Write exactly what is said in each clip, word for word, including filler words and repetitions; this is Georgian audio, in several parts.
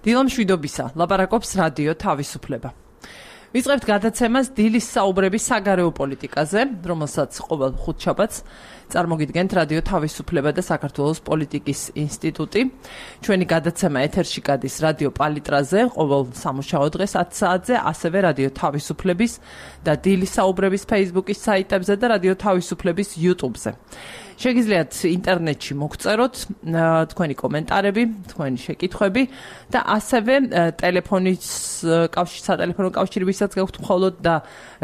დილამ შვიდობისა, ლაპარაკობს რადიო თავისუფლება. ვიწყებთ გადაცემას დილის საუბრების საგარეო პოლიტიკაზე, რომელსაც ყოველ ხუთშაბათს წარმოგიდგენთ რადიო თავისუფლება და საქართველოს პოლიტიკის ინსტიტუტი. ჩვენი გადაცემა ეთერში გადის რადიო პალიტრაზე, ყოველ სამუშაო დღეს ათ საათზე, ასევე რადიო თავისუფლების და დილის საუბრების Facebook-ის საიტებზე და რადიო თავისუფლების YouTube-ზე. შეგიძლიათ ინტერნეტში მოგწეროთ თქვენი კომენტარები, თქვენი შეკითხვები და ასევე ტელეფონის კავშირ სატელეფონო კავშირებისაც გაქვთ მხოლოდ და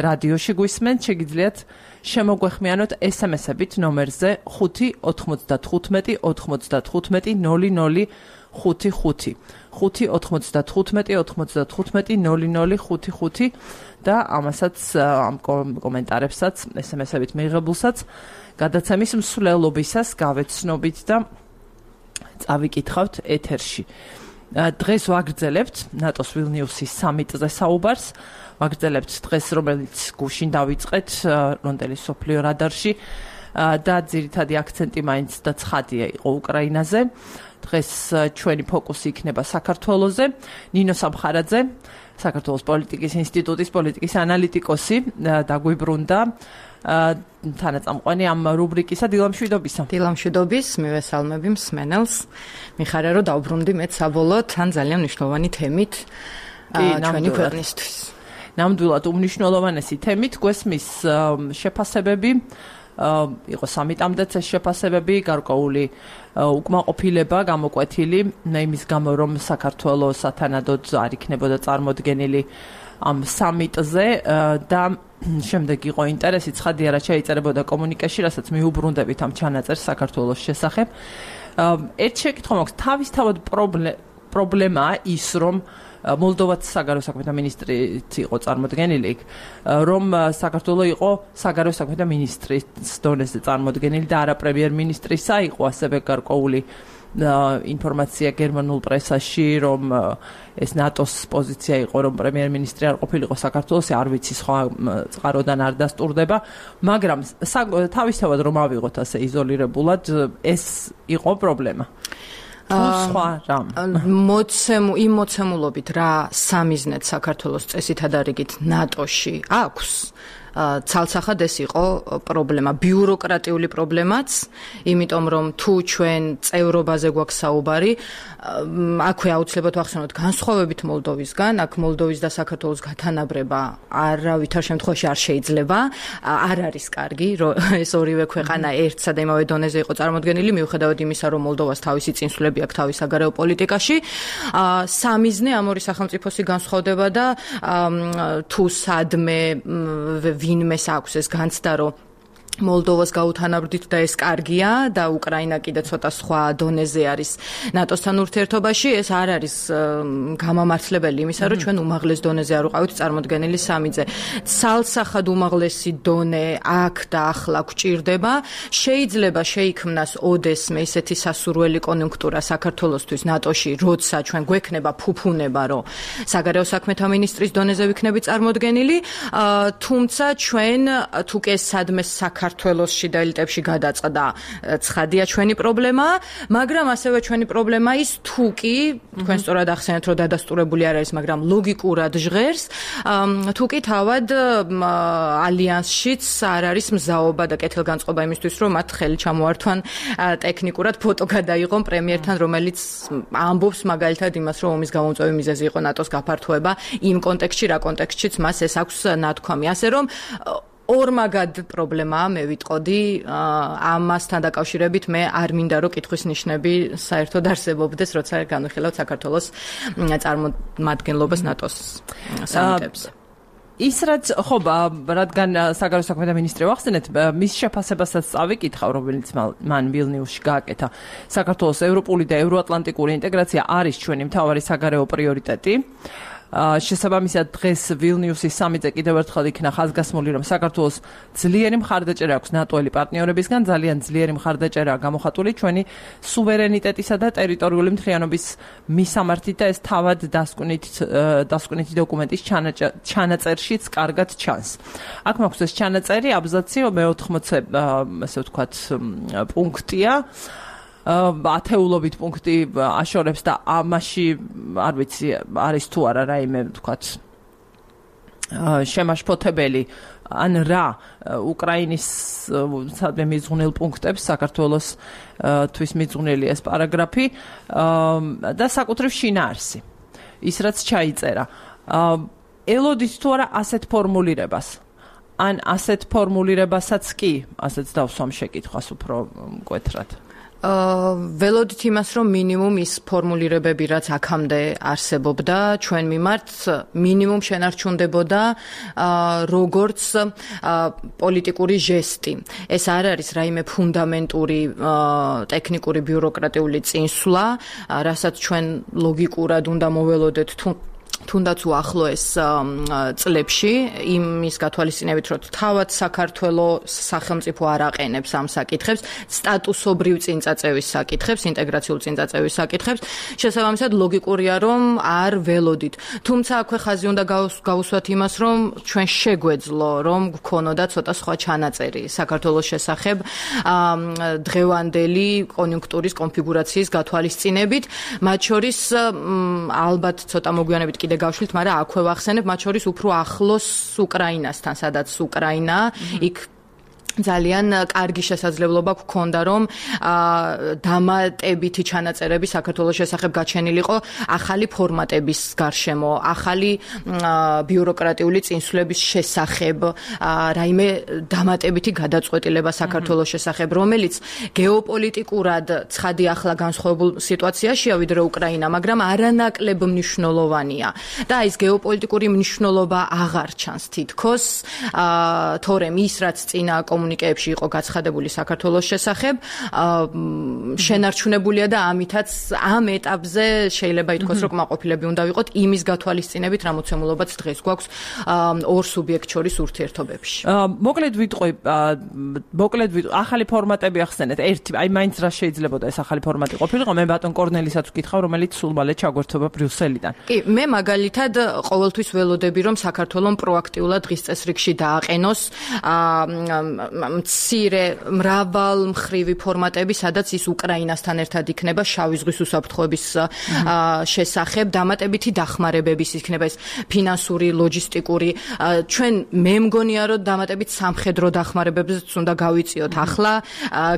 რადიოში გვისმენთ, შეგიძლიათ შემოგვეხმიანოთ ეს ემ ესებით ნომერზე ხუთი ოთხმოცდათხუთმეტი ოთხმოცდათხუთმეტი ნოლი ნოლი ხუთი ხუთი ხუთი ოთხმოცდათხუთმეტი ოთხმოცდათხუთმეტი ნოლი ნოლი ხუთი ხუთი და ამასაც ამ კომენტარებსაც ეს ემ ესებით მიღებულსაც გადაცემის მსვლელობისას გავეცნობით და წავიკითხავთ ეთერში. დღეს ვაგრძელებთ ნატოს ვილნიუსის სამიტზე საუბარს, ვაგრძელებთ დღეს, რომელიც გუშინ დავიწყეთ რონდელის სოფლიო რადარში და ძირითადი აქცენტი მაინც და ცხადია იყო უკრაინაზე. დღეს ჩვენი ფოკუსი იქნება საქართველოზე. ნინო სამხარაძე, საქართველოს პოლიტიკის ინსტიტუტის პოლიტიკის ანალიტიკოსი დაგვიბრუნდა თანაწამყვანი ამ რუბრიკისა. დილამშვიდობისა. დილამშვიდობის, მივესალმები მსმენელს. მიხარია რომ დავბრუნდი მეც საბოლოოდ თან ძალიან მნიშვნელოვანი თემით ჩვენი ქვეყნისთვის. ნამდვილად უმნიშვნელოვანესი თემით გვესმის შეფასებები, იყო სამიტამდეც ეს შეფასებები, გარკვეული უკმაყოფილება გამოკვეთილი იმის გამო, რომ საქართველოს სათანადოდ არ იქნებოდა წარმოდგენილი ამ სამიტზე და შემდეგ იყო ინტერესი, ცხადია რა შეიწერებოდა კომუნიკეში, რასაც მიუბრუნდებით ამ ჩანაწერს საქართველოს შესახებ. ერთ შეკითხვა მაქვს, თავისთავად პრობლემაა ის, რომ მოლდოვაც საგარეო საქმეთა მინისტრიც იყო წარმოდგენილი, რომ საქართველო იყო საგარეო საქმეთა მინისტრის დონეზე წარმოდგენილი და არა პრემიერ-მინისტრისა, იყო ასევე გარკვეული ინფორმაცია გერმანულ პრესაში, რომ ეს ნატოს პოზიცია იყო, რომ პრემიერ-მინისტრი არ ყოფილიყო საქართველოს, არ ვიცი სხვა წყაროდან არ დასტურდება, მაგრამ თავისთავად რომ ავიღოთ ასე იზოლირებულად, ეს იყო პრობლემა. მოცემულ იმ მოცემულობით რა სამიზნედ საქართველოს წესითა და რიგით ნატოში აქვს, ცალსახად ეს იყო პრობლემა, ბიუროკრატიული პრობლემაც, იმიტომ რომ თუ ჩვენ წევრობაზე გვაქვს საუბარი, აქვე აუცილებლად ვახსენოთ განსხვავებით მოლდოვისგან, აქ მოლდოვის და საქართველოს გათანაბრება არავითარ შემთხვევაში არ შეიძლება, არ არის კარგი, რომ ეს ორივე ქვეყანა ერთსა და იმავე დონეზე იყო წარმოდგენილი, მიუხედავად იმისა, რომ მოლდოვას თავისი წინსვლები აქვს თავის საგარეო პოლიტიკაში. სამიზნე ამ ორი სახელმწიფოსი განსხვავდება და თუ სადმე ვინმეს აქვს ეს განცდა, რომ მოლდოვას გაუთანაბრდით და ეს კარგია და უკრაინა კიდე ცოტა სხვა დონეზე არის ნატოსთან ურთიერთობაში, ეს არ არის გამამართლებელი იმისა, რომ ჩვენ უმაღლეს დონეზე არ ვიყავით წარმოდგენილი სამიტზე. ცალსახად უმაღლესი დონე აქ და ახლა გვჭირდება. შეიძლება შეიქმნას ოდესმე ისეთი სასურველი კონიუნქტურა საქართველოსთვის ნატოში, როცა ჩვენ გვექნება ფუფუნება, რომ საგარეო საქმეთა მინისტრის დონეზე ვიქნებით წარმოდგენილი, თუმცა ჩვენ თუ კი სადმე საქართველოს შიდა ელიტებში გადაწყდა, ცხადია ჩვენი პრობლემა, მაგრამ ასევე ჩვენი პრობლემა ის თუ კი, თქვენ სწორად ახსენეთ, რომ დადასტურებული არ არის, მაგრამ ლოგიკურად ჟღერს, თუ კი თავად ალიანსშიც არ არის მზაობა და კეთილგანწყობა იმისთვის, რომ მათ ხელი ჩამოართვან ტექნიკურად ფოტო გადაიღონ პრემიერთან, რომელიც ამბობს მაგალითად იმას, რომ ომის გამომწვევი მიზეზი იყო ნატოს გაფართოება იმ კონტექსტში, რა კონტექსტშიც მას ეს აქვს ნათქვამი. ასე რომ ორმაგად პრობლემაა, მე ვიტყოდი, ამასთან დაკავშირებით მე არ მინდა რომ კითხვის ნიშნები საერთოდ არსებობდეს, როცა განვიხილავთ საქართველოს წარმომადგენლობას ნატოს სამიტებზე. ის რაც ხო, რადგან საგარეო საქმეთა მინისტრი ვახსენეთ, მის შეფასებასაც წავიკითხავ, რომელიც მან ვილნიუსში გააკეთა. საქართველოს ევროპული და ევროატლანტიკური ინტეგრაცია არის ჩვენი მთავარი საგარეო პრიორიტეტი. შესაბამისად დღეს ვილნიუსის სამიტზე კიდევ ერთხელ იქნა ხაზგასმული, რომ საქართველოს ძლიერი მხარდაჭერა აქვს ნატოელი პარტნიორებისგან, ძალიან ძლიერი მხარდაჭერა გამოხატული ჩვენი სუვერენიტეტისა და ტერიტორიული მთლიანობის მისამართით და ეს თავად დასკვნითი დოკუმენტის ჩანაწერშიც კარგად ჩანს. აქ მაქვს ეს ჩანაწერი, აბზაცი მეოთხმოცე, ასე ვთქვათ, პუნქტია. ათეულობით პუნქტი აშორებს და ამაში არ ვიცი არის თუ არა რაიმე თქვათ შემაშფოთებელი ან რა უკრაინის სადმე მიძღვნილ პუნქტებს საქართველოს თვის მიძღვნილი ეს პარაგრაფი და საკუთრივ შინაარსი ის რაც ჩაიწერა ელოდით თუ არა ასეთ ფორმულირებას ან ასეთ ფორმულირებასაც კი ასეც დავსვამ შეკითხვას უფრო მკვეთრად ველოდით იმას, რომ მინიმუმ ის ფორმულირებები, რაც აქამდე არსებობდა, ჩვენ მიმართ მინიმუმ შენარჩუნდებოდა როგორც პოლიტიკური ჟესტი. ეს არ არის რაიმე ფუნდამენტური ტექნიკური ბიუროკრატიული წინსვლა, რასაც ჩვენ ლოგიკურად უნდა მოველოდეთ თუ თუნდაც უახლოეს წლებში იმის გათვალისწინებით, რომ თავად საქართველოს სახელმწიფო არ აყენებს ამ საკითხებს, სტატუსობრივ წინწაწევის საკითხებს, ინტეგრაციულ წინწაწევის საკითხებს, შესაბამისად ლოგიკურია, რომ არ ველოდით. თუმცა აქვე ხაზი უნდა გავუსვათ იმას, რომ ჩვენ შეგვეძლო, რომ გქონოდა ცოტა სხვა ჩანაწერი საქართველოს შესახებ დღევანდელი კონიუნქტურის კონფიგურაციის გათვალისწინებით, მათ შორის ალბათ ცოტა მოგვიანებით კიდე გავშლით, მაგრამ აქვე ვახსენებ, მათ შორის უფრო ახლოს უკრაინასთან, სადაც უკრაინა იქ ძალიან კარგი შესაძლებლობა გქონდა, რომ დამატებითი ჩანაწერები საქართველოს შესახებ გაჩენილიყო ახალი ფორმატების გარშემო, ახალი ბიუროკრატიული წინსვლების შესახებ, რაიმე დამატებითი გადაწყვეტილება საქართველოს შესახებ, რომელიც გეოპოლიტიკურად ცხადი ახლა განსხვავებულ სიტუაციაშია ვიდრე უკრაინა, მაგრამ არანაკლებ მნიშვნელოვანია. და ის გეოპოლიტიკური მნიშვნელობა აღარ ჩანს თითქოს, თორემ ის რაც წინა კომუნიკეებში იყო გაცხადებული საქართველოს შესახებ, შენარჩუნებულია და ამითაც ამ ეტაპზე შეიძლება ითქვას, რომ კმაყოფილები უნდა ვიყოთ იმის გათვალისწინებით, რა მოცემულობაც დღეს გვაქვს ორ სუბიექტ შორის ურთიერთობებში. მოკლედ ვიტყვი, მოკლედ ვიტყვი, ახალი ფორმატები ახსენეთ. ერთი, აი მაინც რა შეიძლებოდა ეს ახალი ფორმატი ყოფილიყო, მე ბატონ კორნელისაც ვკითხავ, რომელიც სულ მალე ჩაგვერთვება ბრიუსელიდან. კი, მე მაგალითად ყოველთვის ველოდები, რომ საქართველოს პროაქტიულად დღის წესრიგში დააყენოს მცირე მრავალმხრივი ფორმატები, სადაც ის უკრაინასთან ერთად იქნება შავი ზღვის უსაფრთხოების შესახებ, დამატებითი დახმარებების იქნება ეს ფინანსური, ლოჯისტიკური. ჩვენ მე მგონია, რომ დამატებით სამხედრო დახმარებებზეც უნდა გავიწიოთ ახლა,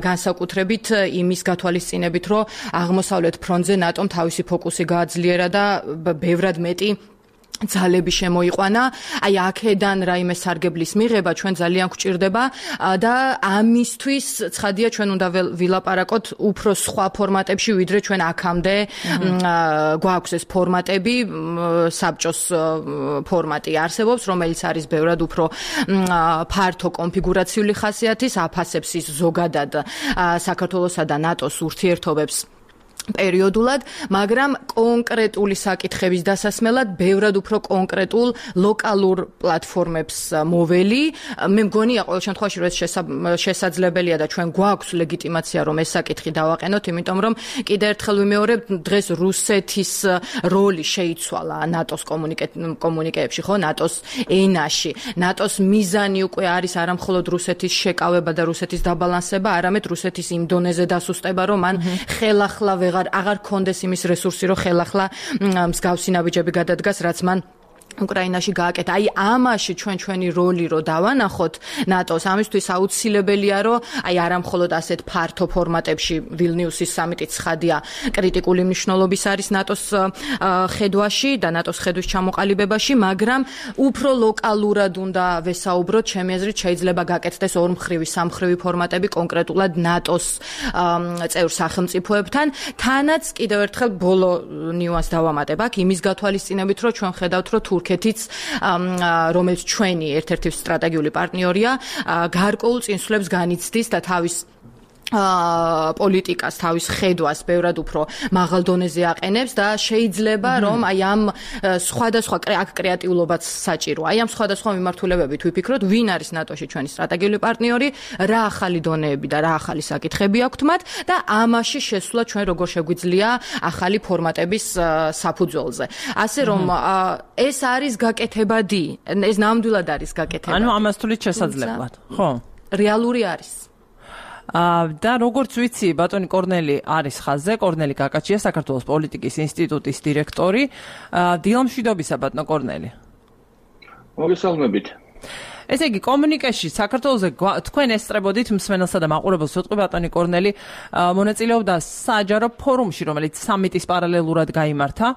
განსაკუთრებით იმის გათვალისწინებით, რომ აღმოსავლეთ ფრონტზე ნატომ თავისი ფოკუსი გააძლიერა და ბევრად მეტი ძალები შემოიყვანა, აი აქედან რაიმე სარგებლის მიღება ჩვენ ძალიან გვჭირდება და ამისთვის ცხადია ჩვენ უნდა ვილაპარაკოთ უფრო სხვა ფორმატებში, ვიდრე ჩვენ აქამდე გვაქვს ეს ფორმატები, საბჭოს ფორმატი არსებობს, რომელიც არის ბევრად უფრო ფართო კონფიგურაციული ხასიათის, აფასებს ის ზოგადად საქართველოსა და ნატოს ურთიერთობებს პერიოდულად, მაგრამ კონკრეტული საკითხების დასასმელად ბევრად უფრო კონკრეტულ ლოკალურ პლატფორმებს მოველი. მე მგონია ყოველ შემთხვევაში რომ ეს შესაძლებელია და ჩვენ გვაქვს ლეგიტიმაცია რომ ეს საკითხი დავაყენოთ, იმიტომ რომ კიდევ ერთხელ ვიმეორებ, დღეს რუსეთის როლი შეიცვალა ნატოს კომუნიკეებში, ხო, ნატოს ენაში. ნატოს მიზანი უკვე არის არამხოლოდ რუსეთის შეკავება და რუსეთის დაბალანსება, არამედ რუსეთის იმ დონეზე დასუსტება, რომ მან ხელახლა აღარ კონდეს იმის რესურსი, რომ ხელახლა მსგავსი ნაბიჯები გადადგას, რაც მან უკრაინაში გააკეთა. აი ამაში ჩვენ ჩვენი როლი რო დავანახოთ ნატოს, ამისთვის აუცილებელია, რომ აი არამხოლოდ ასეთ ფართო ფორმატებში ვილნიუსის სამიტიც ცხადია კრიტიკული მნიშვნელობის არის ნატოს ხედვაში და ნატოს ხედვის ჩამოყალიბებაში, მაგრამ უფრო ლოკალურად უნდა ვესაუბროთ, ჩემი აზრით შეიძლება გაკეთდეს ორმხრივი, სამხრივი ფორმატები კონკრეტულად ნატოს წევრ სახელმწიფოებთან. თანაც კიდევ ერთხელ ბოლო ნიუანს დავამატებ აქ იმის გათვალისწინებით, რომ ჩვენ ხედავთ, რომ თურქეთიც, რომელიც ჩვენი ერთ-ერთი სტრატეგიული პარტნიორია, გარკვეულ წინსვლებს განიცდის და თავის პოლიტიკას, თავის ხედვას ბევრად უფრო მაღალ დონეზე აყენებს და შეიძლება რომ აი ამ სხვადასხვა აქ კრეატიულობაც საჭიროა. აი ამ სხვადასხვა მიმართულებებით ვიფიქროთ, ვინ არის ნატოში ჩვენი სტრატეგიული პარტნიორი, რა ახალი დონეები და რა ახალი საკითხები აქვთ მათ და ამაში შესვლა ჩვენ როგორ შეგვიძლია ახალი ფორმატების საფუძველზე. ასე რომ ეს არის გაკეთებადი, ეს ნამდვილად არის გაკეთებადი. ანუ ამას თulit შესაძლებლად, ხო? რეალური არის. და როგორც ვიცი, ბატონი კორნელი არის ხაზზე, კორნელი კაკაჩია, საქართველოს პოლიტიკის ინსტიტუტის დირექტორი. დილამშვიდობისა, ბატონო კორნელი. მოგესალმებით. ესე იგი, კომუნიკაში საქართველოზე თქვენ ესწრებოდით მსმენელსა და მაყურებელს ვიტყვი ბატონი კორნელი მონაწილეობდა საჯარო ფორუმში, რომელიც სამიტის პარალელურად გაიმართა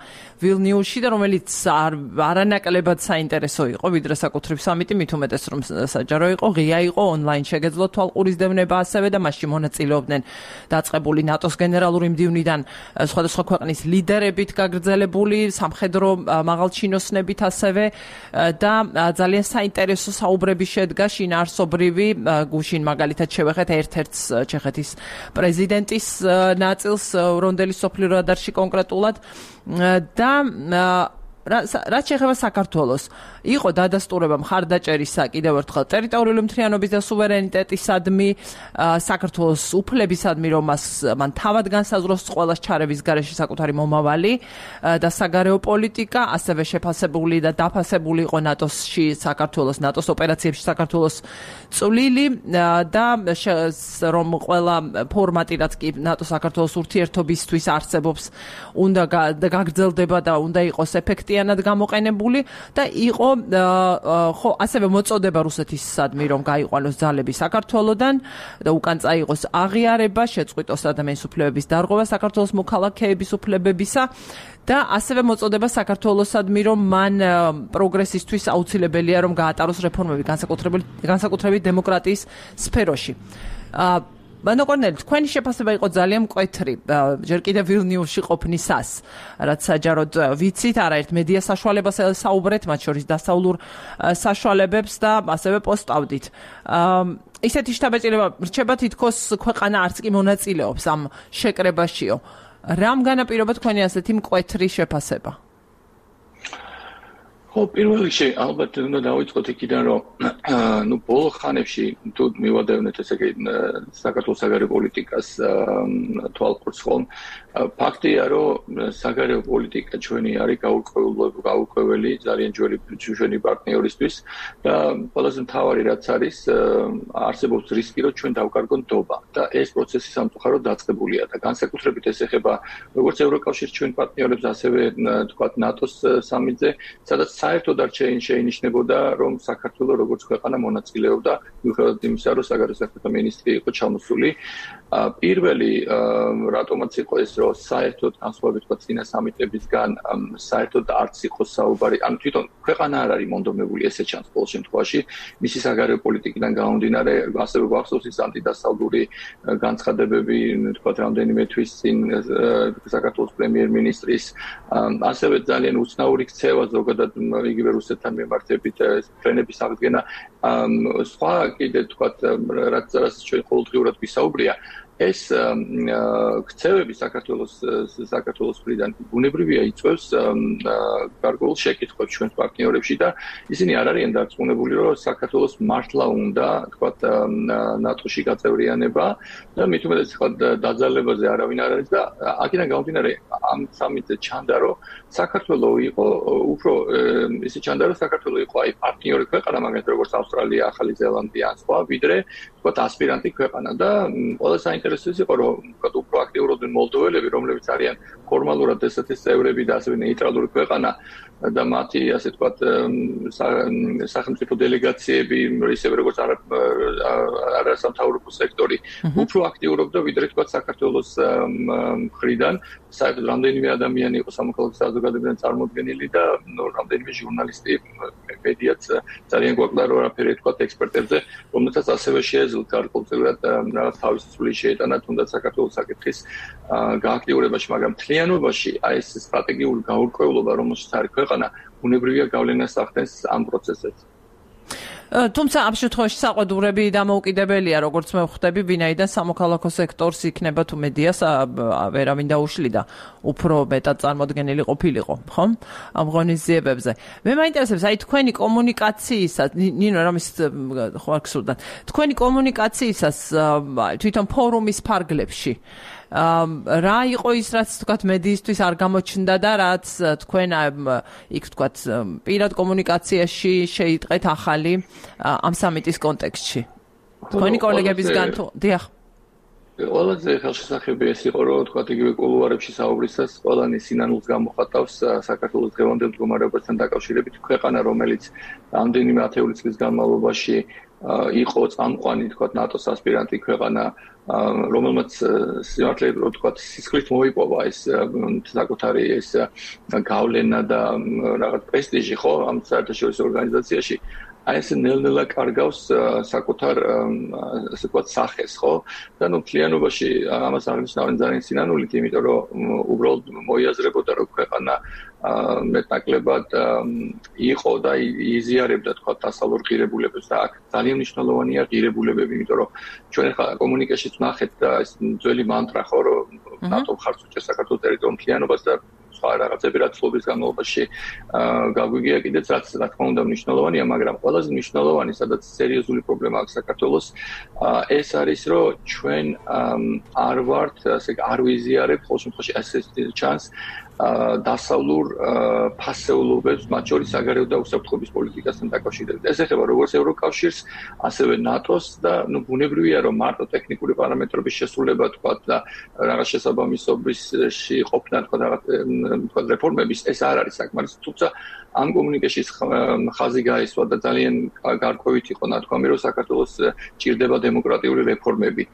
ვილნიუსში და რომელიც არანაკლებად საინტერესო იყო, ვიდრე საკუთრივ სამიტი, მით უმეტეს რომ საჯარო იყო, ღია იყო, ონლაინ შეგეძლო თვალყურისდევნება ასევე და მასში მონაწილეობდნენ დაწყებული ნატოს გენერალური მდივნიდან სხვადასხვა ქვეყნის ლიდერებით გაგრძელებული, სამხედრო მაღალჩინოსნებით ასევე და ძალიან საინტერესო საუბრები შედგა შინაარსობრივი გუშინ მაგალითად შევეხეთ ერთ-ერთს ჩეხეთის პრეზიდენტის ნაწილს რონდელის სოფლიო რადარში კონკრეტულად და რაც შეეხება საქართველოს, იყო დადასტურება მხარდაჭერისა კიდევ ერთხელ ტერიტორიული მთლიანობის და სუვერენიტეტისადმი, საქართველოს უფლებისადმი, რომ მას მან თავად განსაზღვროს ყველას ჩარების გარეშე საკუთარი მომავალი და საგარეო პოლიტიკა, ასევე შეფასებული და დაფასებული იყო ნატოსში საქართველოს, ნატოს ოპერაციებში საქართველოს წვლილი და რომ ყველა ფორმატი, რაც კი ნატო საქართველოს ურთიერთობისთვის არსებობს, უნდა გაგრძელდება და უნდა იყოს ეფექტიანი გამოყენებული და იყო ხო ასევე მოწოდება რუსეთისადმი რომ გაიყვანოს ძალები საქართველოდან და უკან წაიღოს აღიარება, შეწყვიტოს ადამიანის უფლებების დარღვევა საქართველოს მოქალაქეების უფლებებისა და ასევე მოწოდება საქართველოსადმი რომ მან პროგრესისთვის აუცილებელია რომ გაატაროს რეფორმები განსაკუთრებით დემოკრატიის სფეროში. ბატონო კორნელი, თქვენი შეფასება იყო ძალიან მკვეთრი, ჯერ კიდევ ვილნიუსში ყოფნისას, რაც საჯაროდ ვიცით, არაერთ მედია საშუალებას საუბრეთ, მათ შორის დასავლურ საშუალებებს და ასევე პოსტავდით. ისეთი შთაბეჭდილება რჩება თითქოს ქვეყანა არც კი მონაწილეობს ამ შეკრებაშიო. რამ განაპირობა თქვენი ასეთი მკვეთრი შეფასება? ხო, პირველ რიგში ალბათ უნდა დავიწყოთ იქიდან, რომ ნუ ბოლო ხანებში თუ მივადევნეთ ესე იგი საქართველოს საგარეო პოლიტიკას თვალყურს ხომ, ფაქტია, რომ საგარეო პოლიტიკა ჩვენი არის გაურკვეველი, ძალიან ძველი ჩვენი პარტნიორისთვის და ყველაზე მთავარი რაც არის, არსებობს რისკი, რომ ჩვენ დავკარგოთ ნდობა და ეს პროცესი სამწუხაროდ დაწყებულია და განსაკუთრებით ეს ეხება როგორც ევროკავშირის ჩვენ პარტნიორებს, ასევე თქვათ ნატოს სამიტზე, სადაც საერთოდ არ შეინიშნებოდა, რომ საქართველოს როგორც ქვეყანა მონაწილეობდა, მიუხედავად იმისა, რომ საგარეო საქმეთა მინისტრი იყო ჩამოსული. პირველი რატომაც იყო ეს, რომ საერთოდ განსხვავებით თქვა წინა სამიტებისგან, საერთოდ არც იყო საუბარი, ანუ თვითონ ქვეყანა არ არის მონდომებული, ესე ჩანს ყოველ შემთხვევაში, მისი საგარეო პოლიტიკიდან გამომდინარე, ასევე გვახსოვს ის ანტიდასავლური განცხადებები, თქვა რამდენიმე თვის წინ საქართველოს პრემიერ-მინისტრის, ასევე ძალიან უცნაური ქცევა ზოგადად იგივე რუსეთთან მიმართებით ფრენების აღდგენა, სხვა კიდე თქვა რაც რაც ჩვენ ყოველდღიურად ვისაუბრია, ეს ქცევები საქართველოს საქართველოს მხრიდან ბუნებრივია იწვევს გარკვეულ შეკითხვებს ჩვენს პარტნიორებში და ისინი არ არიან დარწმუნებული, რომ საქართველოს მართლა უნდა თქვა ნატოში გაწევრიანება და მით უმეტეს თქვა დაძალებაზე არავინ არ არის და აქედან გამომდინარე ამ სამიტზე ჩანდა, რომ საქართველო იყო უფრო ისე ჩანდა, რომ საქართველო იყო აი პარტნიორი ქვეყანა, მაგალითად როგორც ავსტრალია, ახალი ზელანდია ან სხვა, ვიდრე თქვა ასპირანტი ქვეყანა და ყველა საინტერესო იყო, რომ თქვა უფრო აქტიურობდნენ მოლდოველები, რომლებიც არიან ფორმალურად ესეთის წევრები და ასევე ნეიტრალური ქვეყანა და მათი ასე თქვა სახელმწიფო დელეგაციები, ისევე როგორც არასამთავრობო სექტორი უფრო აქტიურობდა, ვიდრე თქვა საქართველოს მხრიდან. საერთოდ რამდენიმე ადამიანი იყო სამოქალაქო საზოგადოებიდან წარმოდგენილი და რამდენიმე ჟურნალისტი, მედიაც ძალიან გვაკლდა რომ არაფერი თქვა ექსპერტებზე, რომელთაც ასევე შეეძლოთ გარკვეულწილად რაღაც თავისი წვლილი შეეტანა თუნდაც საქართველოს საკითხის გააქტიურებაში, მაგრამ მთლიანობაში აი ეს სტრატეგიული გაურკვევლობა, რომელშიც არის ქვეყანა, ბუნებრივია გავლენას ახდენს ამ პროცესებს. თუმცა ამ შემთხვევაში საყვედურები დამოუკიდებელია, როგორც მე ვხვდები, ვინაიდან სამოქალაქო სექტორს იქნება თუ მედიას ვერავინ დაუშლიდა, უფრო მეტად წარმოდგენილი ყოფილიყო, ხომ? ამ ღონისძიებებზე. მე მაინტერესებს, აი თქვენი კომუნიკაციისას, ნინო რამის ხო არ გსურდა. თქვენი კომუნიკაციისას თვითონ ფორუმის ფარგლებში რა იყო ის, რაც თქვათ მედიისთვის არ გამოჩნდა და რაც თქვენ იქ თქვათ პირად კომუნიკაციაში შეიტყეთ ახალი ამ სამიტის კონტექსტში. თქვენი კოლეგებისგან თუ დიახ. ყველაზე ხელშესახები ეს იყო, რომ თქვა იგივე კულუარებში საუბრისას ყველანი სინანულს გამოხატავს საქართველოს დღევანდელ მდგომარეობასთან დაკავშირებით, ქვეყანა, რომელიც ამდენიმე ათეული წლის განმავლობაში იყო წამყვანი, თქვა ნატოს ასპირანტი ქვეყანა, რომელმაც სიმართლე რომ თქვა სისხლით მოიპოვა ეს საკუთარი ეს გავლენა და რაღაც პრესტიჟი ხო ამ საერთაშორისო ორგანიზაციაში. აი ეს ნელ-ნელა კარგავს საკუთარ ასე ვთქვათ სახეს, ხო? და ნუ მთლიანობაში ამას აღნიშნავენ ძალიან სინანულით, იმიტომ რომ უბრალოდ მოიაზრებოდა რომ ქვეყანა მეტნაკლებად იყო და იზიარებდა თქვა დასავლურ ღირებულებებს და აქ ძალიან მნიშვნელოვანია ღირებულებები, იმიტომ რომ ჩვენ ხა კომუნიკაციით ნახეთ და ეს ძველი მანტრა ხო რომ ნატო ხარც უჭერს საქართველოს ტერიტორიულ მთლიანობას და სხვა რაღაცები რაც წლების განმავლობაში გაგვიგია კიდეც რაც რა თქმა უნდა მნიშვნელოვანია, მაგრამ ყველაზე მნიშვნელოვანი სადაც სერიოზული პრობლემა აქვს საქართველოს ეს არის რომ ჩვენ არ ვართ ასე არ ვიზიარებთ ყოველ შემთხვევაში ეს ჩანს დასავლურ ფასეულობებს, მათ შორის საგარეო და უსაფრთხოების პოლიტიკასთან დაკავშირებით. ეს ეხება როგორც ევროკავშირს, ასევე ნატოს და ნუ ბუნებრივია, რომ მარტო ტექნიკური პარამეტრების შესრულება თქვა და რაღაც შესაბამისობაში ყოფნა თქვა რაღაც თქვა რეფორმების ეს არ არის საკმარის, თუმცა ამ კომუნიკაციის ხაზი გაისვა და ძალიან გარკვევით იყო ნათქვამი, რომ საქართველოს ჭირდება დემოკრატიული რეფორმები.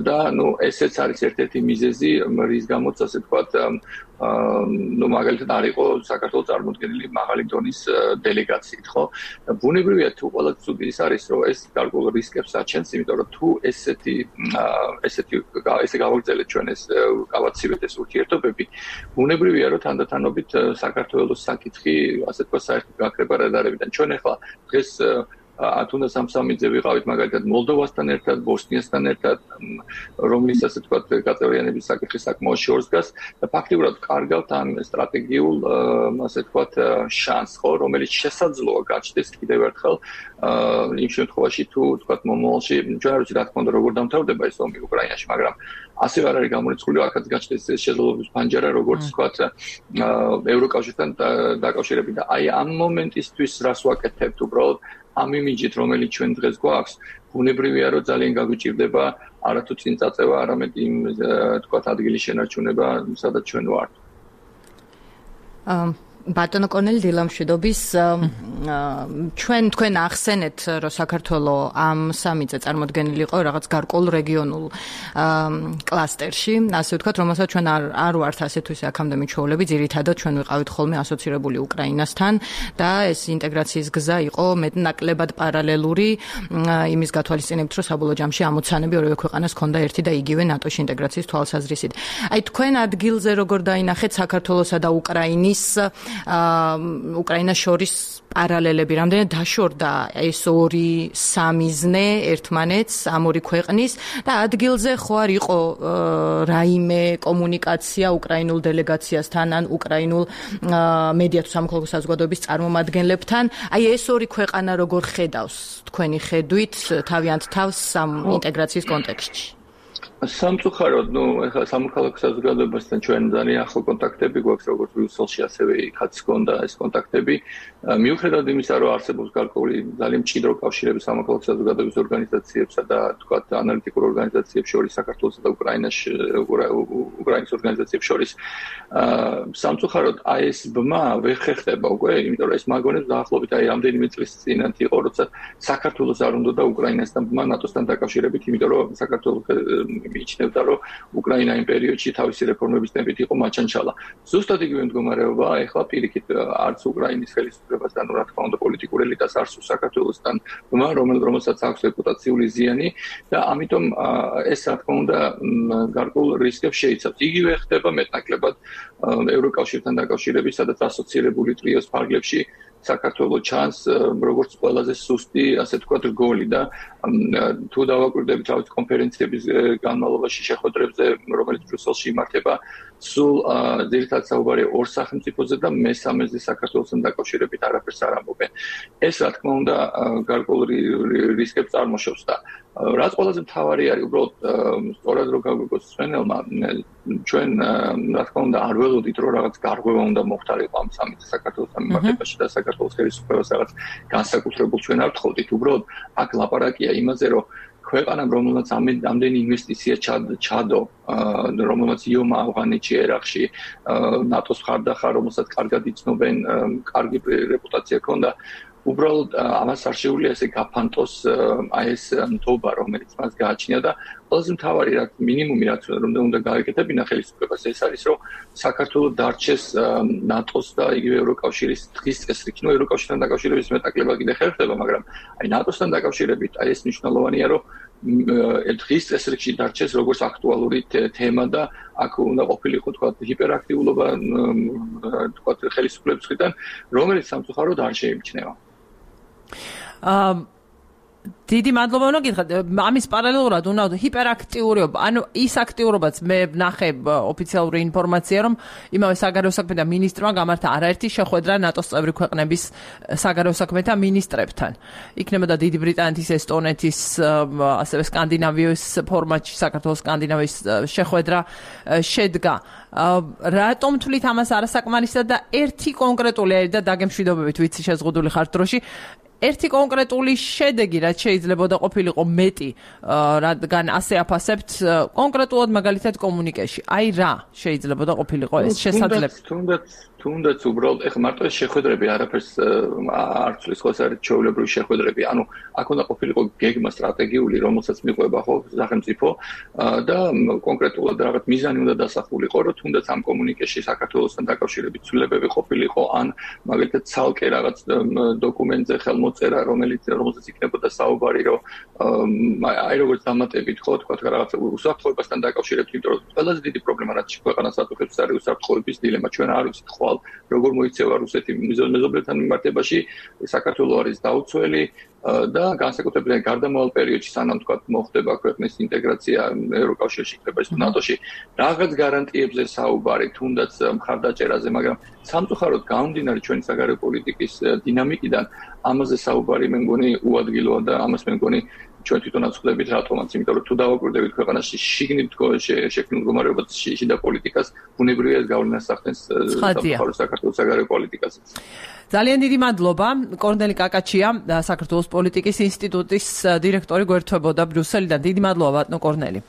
და ნუ ესეც არის ერთ-ერთი მიზეზი, რის გამოც ასე თქვა ну მაგალითად არ იყო საქართველოს წარმოდგენილი მაღალი დონის დელეგაციით, ხო? და ბუნებრივია თუ ყველა ცუდი ის არის, რომ ეს გარკვეულ რისკებს აჩენს, იმიტომ რომ თუ ესეთი ესეთი ესე გავაგრძელეთ ჩვენ ეს გავაცივეთ ეს ურთიერთობები, ბუნებრივია რომ თანდათანობით საქართველოს საკითხი, ასე თქვა, საერთოდ გაქრება რადარებიდან. ჩვენ ახლა დღეს თუნდაც სამსამიძე ვიყავით მაგალითად მოლდოვასთან ერთად, ბოსნიასთან ერთად, რომლის ასე თქვა გაწევრიანების საკითხი საკმაოდ შორს დგას და ფაქტიურად კარგავთ ამ სტრატეგიულ ასე თქვა შანსს, ხო, რომელიც შესაძლოა გაჩნდეს კიდევ ერთხელ იმ შემთხვევაში თუ თქვა მომავალში ჩვენ არ ვიცით რა თქმა უნდა როგორ დამთავრდება ეს ომი უკრაინაში, მაგრამ ასევე არ არის გამორიცხული აქაც გაჩნდეს ეს შესაძლებლობის ფანჯარა, როგორც თქვა ევროკავშირთან დაკავშირებით და აი ამ მომენტისთვის რას ვაკეთებთ უბრალოდ ამ იმიჯით, რომელიც ჩვენ დღეს გვაქვს, ბუნებრივია, რომ ძალიან გაგვიჭირდება არათუ წინ წაწევა, არამედ იმ თქვათ ადგილის შენარჩუნება, სადაც ჩვენ ვართ. ბატონო კორნელი დილამშვიდობის ჩვენ თქვენ ახსენეთ რომ საქართველოს ამ სამიტზე წარმოდგენილი იყო რაღაც გარკვეულ რეგიონულ კლასტერში, ასე ვთქვათ, რომელსაც ჩვენ არ არ ვართ ასე თუ ისე აქამდე მიჩვეულები, ძირითადად ჩვენ ვიყავით ხოლმე ასოცირებული უკრაინასთან და ეს ინტეგრაციის გზა იყო მეტნაკლებად პარალელური იმის გათვალისწინებით, რომ საბოლოო ჯამში ამოცანები ორივე ქვეყანას ჰქონდა ერთი და იგივე ნატოში ინტეგრაციის თვალსაზრისით. აი თქვენ ადგილზე როგორ დაინახეთ საქართველოსა და უკრაინის უკრაინას შორის პარალელები, რამდენად დაშორდა ეს ორი სამიზნე ერთმანეთს ამ ორი ქვეყნის და ადგილზე ხო არ იყო რაიმე კომუნიკაცია უკრაინულ დელეგაციასთან ან უკრაინულ მედია თუ სამოქალაქო საზოგადოების წარმომადგენლებთან, აი ეს ორი ქვეყანა როგორ ხედავს თქვენი ხედვით თავიანთ თავს ამ ინტეგრაციის კონტექსტში? სამწუხაროდ, ნუ ეხლა სამოქალაქო საზოგადოებასთან ჩვენ ძალიან ახლო კონტაქტები გვაქვს, როგორც ბრიუსელში, ასევე იქაც ჰქონდა ეს კონტაქტები. მიუხედავად იმისა, რომ არსებობს გარკვეული ძალიან მჭიდრო კავშირები სამოქალაქო საზოგადოების ორგანიზაციებსა და თქვათ ანალიტიკურ ორგანიზაციებს შორის, საქართველოსა და უკრაინაში, უკრაინის ორგანიზაციებს შორის, სამწუხაროდ აი ეს ბმა ვერ ხერხდება უკვე, იმიტომ რომ ეს მაგონებს დაახლოებით აი რამდენიმე წლის წინათ იყო, როცა საქართველოს არ უნდა და უკრაინასთან ბმა ნატოსთან დაკავშირებით, იმიტომ რომ საქართველოს მიიჩნევდა, რომ უკრაინა იმ პერიოდში თავისი რეფორმების ტემპით იყო მაჩანჩალა. ზუსტად იგივე მდგომარეობა ეხლა პირიქით არც უკრაინის ხელისუფლებასთან, რა თქმა უნდა, პოლიტიკურ ელიტას არც საქართველოსთან, რომელსაც აქვს რეპუტაციული ზიანი და ამიტომ ეს რა თქმა უნდა გარკვეულ რისკებს შეიცავს. იგივე ხდება მეტნაკლებად ევროკავშირთან დაკავშირებით, სადაც ასოცირებული ტრიოს ფარგლებში საქართველოს ჩანს როგორც ყველაზე სუსტი, ასე ვთქვათ, რგოლი და თუ დავაკვირდებით რაღაც კონფერენციების განმავლობაში შეხვედრებზე, რომელიც ბრიუსელში იმართება, სულ ძირითადად საუბარია ორ სახელმწიფოზე და მესამეზე საქართველოსთან დაკავშირებით არაფერს არ ამბობენ. ეს რა თქმა უნდა გარკვეულ რისკებს წარმოშობს და რაც ყველაზე მთავარი არის, უბრალოდ სწორად რო გაგვიგოს სვენელმა, ჩვენ რა თქმა უნდა არ ველოდით, რომ რაღაც გარღვევა უნდა მოხდარიყო ამ სამიტზე საქართველოსთან მიმართებაში და საქართველოს ხელისუფლებას რაღაც განსაკუთრებულ ჩვენ არ ვთხოვდით. უბრალოდ აქ ლაპარაკია იმაზე, რომ ქვეყანამ რომელმაც ამდენი ინვესტიცია ჩადო, რომელმაც იომა ავღანეთში, ერაყში, ნატოს მხარდახარ, რომელსაც კარგად იცნობენ, კარგი რეპუტაცია ჰქონდა. უბრალოდ ამას არ შეუძლია ესე გაფანტოს აი ეს ნდობა, რომელიც მას გააჩნია და ყველაზე მთავარი რაც მინიმუმი რაც უნდა გაეკეთებინა ხელისუფლებას ეს არის რომ საქართველოს დარჩეს ნატოს და იგივე ევროკავშირის დღის წესრიგი. ნუ ევროკავშირთან დაკავშირების მეტაკლებად კიდე ხერხდება, მაგრამ აი ნატოსთან დაკავშირებით აი ეს მნიშვნელოვანია რომ დღის წესრიგში დარჩეს როგორც აქტუალური თემა და აქ უნდა ყოფილიყო თქვა ჰიპერაქტიულობა თქვა ხელისუფლების მხრიდან, რომელიც სამწუხაროდ არ შეიმჩნევა. აა დიდი მადლობა უნდა გითხრათ. ამის პარალელურად უნდა ჰიპერაქტიურობა, ანუ ის აქტიურობაც მე ვნახე ოფიციალური ინფორმაცია, რომ იმავე საგარეო საქმეთა მინისტრმა გამართა არაერთი შეხვედრა ნატოს წევრი ქვეყნების საგარეო საქმეთა მინისტრებთან. იქნებოდა დიდი ბრიტანეთის, ესტონეთის, ასევე სკანდინავიის ფორმატში საქართველოს სკანდინავიის შეხვედრა შედგა. რატომ თვლით ამას არასაკმარისად და ერთი კონკრეტული და დაგემშვიდობებით ვიცი შეზღუდული ხართ დროში ერთი კონკრეტული შედეგი რაც შეიძლება და ყოფილიყო მეტი რადგან ასე აფასებთ კონკრეტულად მაგალითად კომუნიკეში. აი რა შეიძლება და ყოფილიყო ეს შესაძლებელი. თუნდაც თუნდაც უბრალოდ ეხლა მარტო ეს შეხვედრები არაფერს არ ცვლის, ხო, ეს არის ჩვეულებრივი შეხვედრები. ანუ აქ უნდა ყოფილიყო გეგმა სტრატეგიული, რომელსაც მიყვება ხო სახელმწიფო და კონკრეტულად რაღაც მიზანი უნდა დასახულიყო, რომ თუნდაც ამ კომუნიკეში საქართველოსთან დაკავშირებით ცვლილებები ყოფილიყო, ან მაგალითად ცალკე რაღაც დოკუმენტზე ხელმოწერა, რომელიც რომელზეც იქნებოდა საუბარი, რომ აი როგორც დამატებით ხო თქვა რაღაც უსაფრთხოებასთან დაკავშირებით, იმიტომ რომ ყველაზე დიდი პრობლემა რაც ქვეყანას ატუხებს არის უსაფრთხოების დილემა. ჩვენ არ ვიცით ხო როგორ მოიქცევა რუსეთი მეზობლებთან მიმართებაში, საქართველოს არის დაუცველი და განსაკუთრებით გარდამავალ პერიოდში სანამ თქვა მოხდება ქვეყნის ინტეგრაცია ევროკავშირში, იქნება ის ნატოში, რაღაც გარანტიებზე საუბარი, თუნდაც მხარდაჭერაზე, მაგრამ სამწუხაროდ გამომდინარე ჩვენი საგარეო პოლიტიკის დინამიკიდან ამაზე საუბარი მე მგონი უადგილოა და ამას მე მგონი ჩვენ თვითონაც ხვდებით რატომაც, იმიტომ რომ თუ დავაკვირდებით ქვეყანაში შიგნით შექმნილ მდგომარეობას, შიდა პოლიტიკას, ბუნებრივია ეს გავლენას ახდენს საქართველოს საგარეო პოლიტიკასაც. ძალიან დიდი მადლობა. კორნელი კაკაჩია, საქართველოს პოლიტიკის ინსტიტუტის დირექტორი გვერდთვებოდა ბრიუსელიდან. დიდი მადლობა ბატონო კორნელი.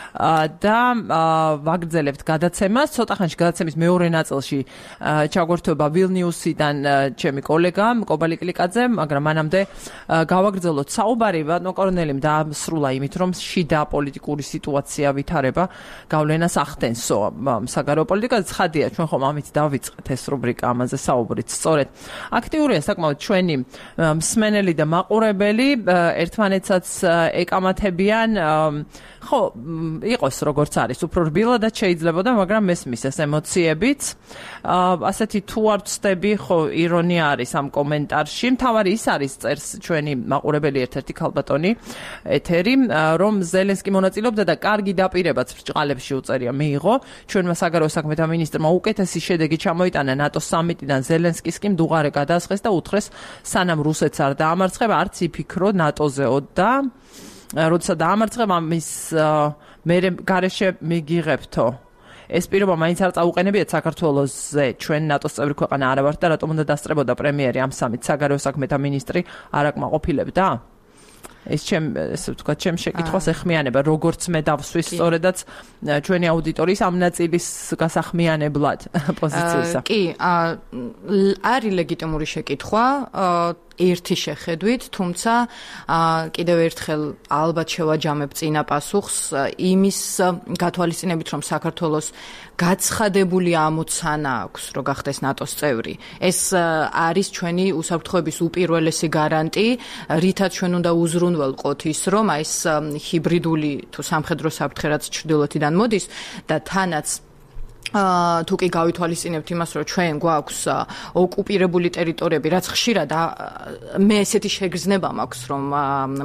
და ვაგრძელებთ გადაცემას. ცოტა ხანში გადაცემის მეორე ნაწილში ჩაგვერთვება ვილნიუსიდან ჩემი კოლეგა კობალი კლიკაძე, მაგრამ მანამდე გავაგრძელოთ საუბარი ბატონო კორნელიმ დაასრულა იმით, რომ შიდა პოლიტიკური სიტუაცია ვითარება გავლენას ახდენსო საგარეო პოლიტიკაზე. ცხადია, ჩვენ ხომ ამით დავიწყეთ ეს რუბრიკა, ამაზე საუბრით. სწორედ აქტიურია საკმაოდ ჩვენი მსმენელი და მაყურებელი, ერთმანეთსაც ეკამათებიან, ხო, იყოს როგორც არის, უფრო რბილადაც შეიძლებოდა, მაგრამ მესმის ეს ემოციებიც. ასეთი თუ არ ვწდები, ხო, ირონია არის ამ კომენტარში. მთავარი ის არის, წერს ჩვენი მაყურებელი ერთ-ერთი ქალბატონი ეთერი, რომ ზელენსკი მონაწილეობდა და კარგი დაპირებაც ბრჭყალებში უწერია მიიღო. ჩვენმა საგარეო საქმეთა მინისტრმა უკეთესი შედეგი ჩამოიტანა ნატოს სამიტიდან, ზელენსკის კი მდუღარე გადაასხეს და უთხრეს, სანამ რუსეთს არ დაამარცხება, არც იფიქრო ნატოზეო და როცა დაამარცხება მის მე გარეშე მიგიღებთო. ეს პირობა მაინც არ წაუყენებიათ საქართველოსზე, ჩვენ ნატოს წევრი ქვეყანა არა ვართ და რატომ უნდა დასწრებოდა პრემიერი ამ სამით, საგარეო საქმეთა მინისტრი არ აკმაყოფილებდა? ეს ჩემ ესე ვთქვათ, ჩემ შეკითხვას ეხმიანება, როგორც მე დავსვის სწორედაც ჩვენი აუდიტორიის ამ ნაწილის გასახმიანებლად პოზიციისა. კი, არის ლეგიტიმური შეკითხვა, ერთი შეხედვით, თუმცა კიდევ ერთხელ ალბათ შევაჯამებ წინა პასუხს იმის გათვალისწინებით, რომ საქართველოს გაცხადებული ამოცანა აქვს, რომ გახდეს ნატოს წევრი. ეს არის ჩვენი უსაფრთხოების უპირველესი გარანტი, რითაც ჩვენ უნდა უზრუნველყოთ ის, რომ აი ეს ჰიბრიდული თუ სამხედრო საფრთხე რაც ჩრდილოეთიდან მოდის და თანაც თუ კი გავითვალისწინებთ იმას, რომ ჩვენ გვაქვს ოკუპირებული ტერიტორიები, რაც ხშირად მე ესეთი შეგრძნება მაქვს, რომ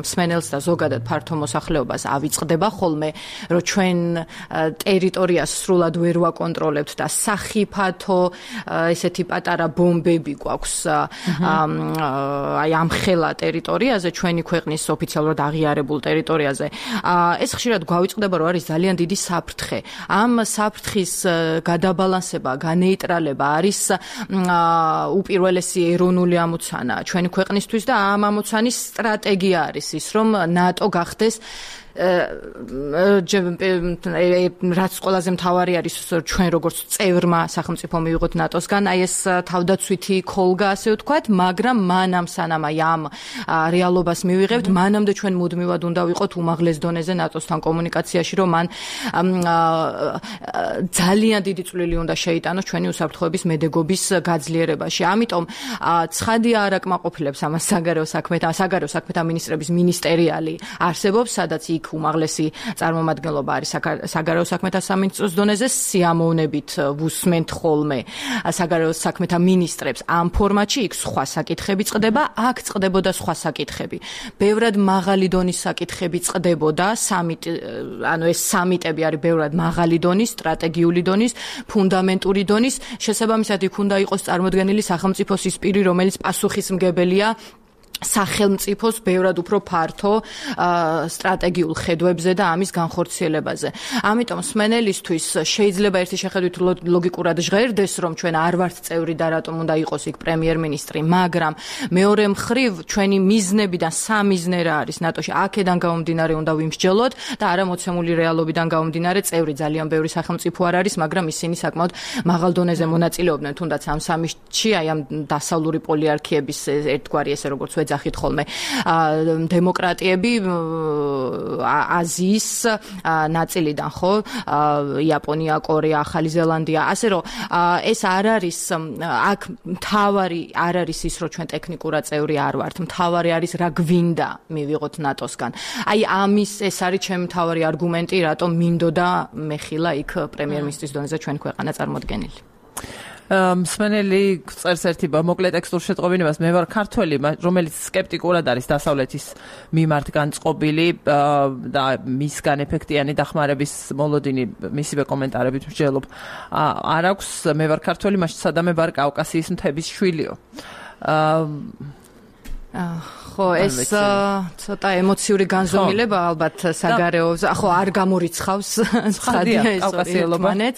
მსმენელს და ზოგადად ფართო მოსახლეობას ავიწყდება ხოლმე, რომ ჩვენ ტერიტორიას სრულად ვერ ვაკონტროლებთ და სახიფათო ესეთი პატარა ბომბები გვაქვს აი ამ ხელა ტერიტორიაზე, ჩვენი ქვეყნის ოფიციალურად აღიარებულ ტერიტორიაზე. ეს ხშირად გვავიწყდება, რომ არის ძალიან დიდი საფრთხე. ამ საფრთხის გადაბალანსება, განეიტრალება არის უპირველესი ეროვნული ამოცანა ჩვენი ქვეყნისთვის და ამ ამოცანის სტრატეგია არის ის, რომ ნატო გახდეს რაც ყველაზე მთავარი არის ჩვენ როგორც წევრმა სახელმწიფო მივიღოთ ნატოსგან, აი ეს თავდაცვითი ქოლგა ასე ვთქვათ, მაგრამ მანამ სანამ აი ამ რეალობას მივიღებთ, მანამდე ჩვენ მუდმივად უნდა ვიყოთ უმაღლეს დონეზე ნატოსთან კომუნიკაციაში, რომ მან ძალიან დიდი წვლილი უნდა შეიტანოს ჩვენი უსაფრთხოების მედეგობის გაძლიერებაში. ამიტომ ცხადია არ აკმაყოფილებს ამას საგარეო საქმეთა საგარეო საქმეთა მინისტრების მინისტერიალი არსებობს, სადაც უმაღლესი წარმომადგენლობა არის საგარეო საქმეთა სამინისტროს დონეზე, სიამოვნებით ვუსმენთ ხოლმე საგარეო საქმეთა მინისტრებს ამ ფორმატში, იქ სხვა საკითხები წყდება, აქ წყდებოდა სხვა საკითხები. ბევრად მაღალი დონის საკითხები წყდებოდა, სამიტ ანუ ეს სამიტები არის ბევრად მაღალი დონის, სტრატეგიული დონის, ფუნდამენტური დონის, შესაბამისად იქ უნდა იყოს წარმოდგენილი სახელმწიფოს ის პირი, რომელიც პასუხისმგებელია სახელმწიფოს ბევრად უფრო ფართო სტრატეგიულ ხედვებზე და ამის განხორციელებაზე. ამიტომ მსმენელისთვის შეიძლება ერთი შეხედვით ლოგიკურად ჟღერდეს, რომ ჩვენ არ ვართ წევრი და რატომ უნდა იყოს იქ პრემიერ-მინისტრი, მაგრამ მეორე მხრივ ჩვენი მიზნებიდან სამიზნე რა არის ნატოში, აქედან გამომდინარე უნდა ვიმსჯელოთ და არა მოცემული რეალობიდან გამომდინარე წევრი ძალიან ბევრი სახელმწიფო არ არის, მაგრამ ისინი საკმაოდ მაღალ დონეზე მონაწილეობდნენ, თუნდაც ამ სამიტში, აი ამ დასავლური პოლიარქიების ერთგვარი ესე როგორც ვეძახით ხოლმე დემოკრატიები აზიის ნაწილიდან, ხო, იაპონია, კორეა, ახალი ზელანდია, ასე რომ ეს არ არის აქ მთავარი არ არის ის, რომ ჩვენ ტექნიკურად წევრი არ ვართ, მთავარი არის რა გვინდა მივიღოთ ნატოსგან. აი ამის ეს არის ჩემი მთავარი არგუმენტი, რატომ მინდოდა მეხილა იქ პრემიერ-მინისტრის დონეზე ჩვენი ქვეყანა წარმოდგენილი. მსმენელი წერს ერთი მოკლე ტექსტურ შეტყობინებას, მე ვარ ქართველი, რომელიც სკეპტიკურად არის დასავლეთის მიმართ განწყობილი და მისგან ეფექტიანი დახმარების მოლოდინი მისივე კომენტარებით მსჯელობ. არ აქვს, მე ვარ ქართველი, მაშინ სადამე ვარ კავკასიის მთების შვილიო. ხო, ეს ცოტა ემოციური განზომილება ალბათ საგარეო, ხო, არ გამორიცხავს ცხადია ეს კავკასიელობანაც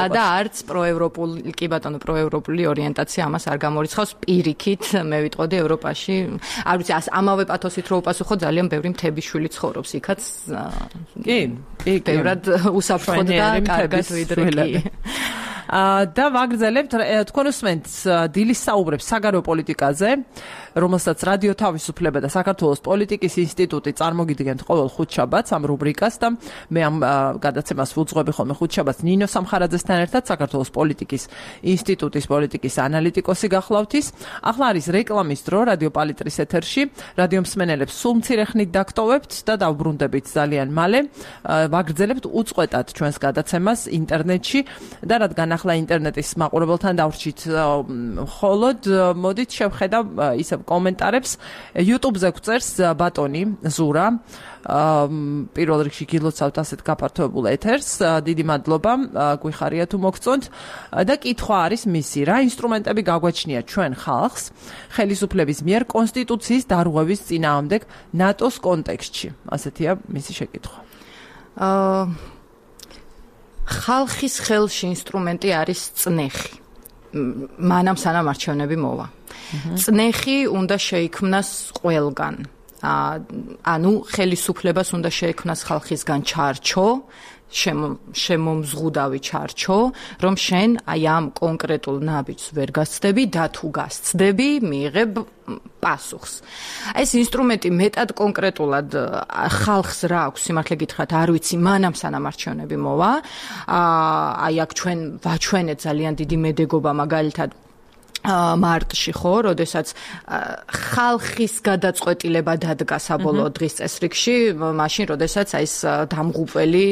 და არც პროევროპული, კი ბატონო, პროევროპული ორიენტაცია ამას არ გამორიცხავს. პირიქით მე ვიტყოდი ევროპაში, არ ვიცი, ამავე პათოსით რო უპასუხო, ძალიან ბევრი მთების შვილი ცხოვრობს იქაც. კი, კი, ბევრად უსაფრთხოდ და კარგად ვიდრე კი. და ვაგრძელებთ, თქვენ უსმენთ დილის საუბრებს საგარეო პოლიტიკაზე, რომელსაც რადიო თავისუფლება და საქართველოს პოლიტიკის ინსტიტუტი წარმოგიდგენთ ყოველ ხუთშაბათს ამ რუბრიკას და მე ამ გადაცემას ვუძღვები ხოლმე ხუთშაბათს ნინო სამხარაძესთან ერთად, საქართველოს პოლიტიკის ინსტიტუტის პოლიტიკის ანალიტიკოსი გახლავთის. ახლა არის რეკლამის დრო რადიო პალიტრის ეთერში, რადიო მსმენელებს სულ მცირე ხნით დაგტოვებთ და დავბრუნდებით ძალიან მალე. ვაგრძელებთ უწყვეტად ჩვენს გადაცემას ინტერნეტში და რადგან ახლა ინტერნეტის მაყურებელთან დავრჩით მხოლოდ, მოდით შევხედავ ისევ კომენტარებს. YouTube-ზე გვწერს ბატონი ზურა, პირველ რიგში გილოცავთ ასეთ გაფართოებულ ეთერს, დიდი მადლობა, გვიხარია თუ მოგწონთ და კითხვა არის მისი, რა ინსტრუმენტები გაგვაჩნია ჩვენ ხალხს ხელისუფლების მიერ კონსტიტუციის დარღვევის წინააღმდეგ ნატოს კონტექსტში, ასეთია მისი შეკითხვა. აა ხალხის ხელში ინსტრუმენტი არის წნეხი. მანამ სანამ არჩევნები მოვა. წნეხი უნდა შეიქმნას ყველგან. ანუ ხელისუფლებას უნდა შეექმნას ხალხისგან ჩარჩო, შემომზღუდავი ჩარჩო, რომ შენ აი ამ კონკრეტულ ნაბიჯს ვერ გასცდები და თუ გასცდები, მიიღებ პასუხს. ეს ინსტრუმენტი მეტად კონკრეტულად ხალხს რა აქვს, სიმართლე გითხრათ, არ ვიცი, მანამ სანამ არჩევნები მოვა. აი აქ ჩვენ ვაჩვენეთ ძალიან დიდი მედეგობა მაგალითად მარტში, ხო, როდესაც ხალხის გადაწყვეტილება დადგა საბოლოო დღის წესრიგში, მაშინ როდესაც აი ეს დამღუპველი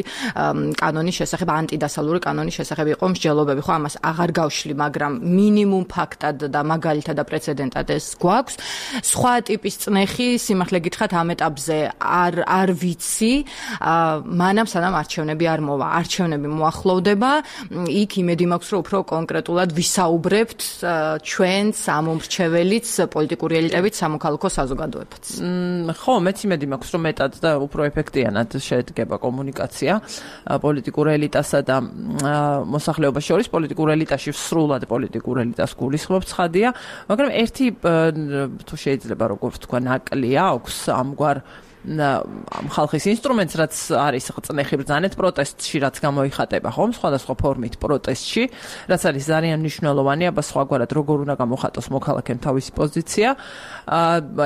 კანონის შესახებ, ანტიდასავლური კანონის შესახებ იყო მსჯელობები, ხო, ამას აღარ გავშლი, მაგრამ მინიმუმ ფაქტად და მაგალითად და პრეცედენტად ეს გვაქვს. სხვა ტიპის წნეხი, სიმართლე გითხრათ, ამ ეტაპზე არ არ ვიცი, მანამ სანამ არჩევნები არ მოვა. არჩევნები მოახლოვდება, იქ იმედი მაქვს, რომ უფრო კონკრეტულად ვისაუბრებთ ჩვენც ამომრჩეველიც პოლიტიკური ელიტებით სამოქალაქო საზოგადოებაც. ხო, მეც იმედი მაქვს, რომ მეტად და უფრო ეფექტიანად შედგება კომუნიკაცია პოლიტიკურ ელიტასა და მოსახლეობას შორის. პოლიტიკურ ელიტაში სრულად პოლიტიკურ ელიტას გულისხმობ ცხადია, მაგრამ ერთი თუ შეიძლება როგორც თქვა ნაკლია აქვს ამგვარ ხალხის ინსტრუმენტს, რაც არის წნეხი ბრძანეთ პროტესტში, რაც გამოიხატება ხომ სხვადასხვა ფორმით პროტესტში, რაც არის ძალიან მნიშვნელოვანი, აბა სხვაგვარად როგორ უნდა გამოხატოს მოქალაქემ თავისი პოზიცია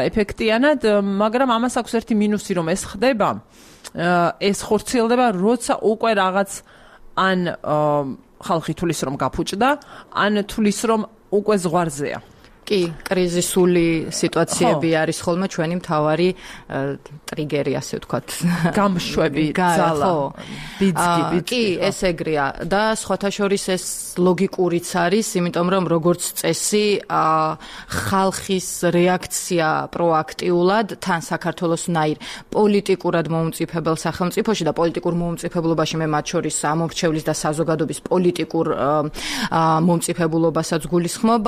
ეფექტიანად, მაგრამ ამას აქვს ერთი მინუსი, რომ ეს ხდება, ეს ხორციელდება, როცა უკვე რაღაც ან ხალხი თulis რომ გაფუჭდა, ან თulis რომ უკვე ზღვარზეა. კი, კრიზისული სიტუაციები არის ხოლმე ჩვენი მთავარი ტრიგერი, ასე ვთქვათ. გამშვები, ძალა, ბიძგი, ბიძგი. კი, ეს ეგრეა და სხვათა შორის ეს ლოგიკურიც არის, იმიტომ რომ როგორც წესი, ხალხის რეაქცია პროაქტიულად თან საქართველოსნაირ პოლიტიკურად მომწიფებელ სახელმწიფოში და პოლიტიკურ მომწიფებლობაში მე მათ შორის ამომრჩევლის და საზოგადოების პოლიტიკურ მომწიფებულობასაც გულისხმობ.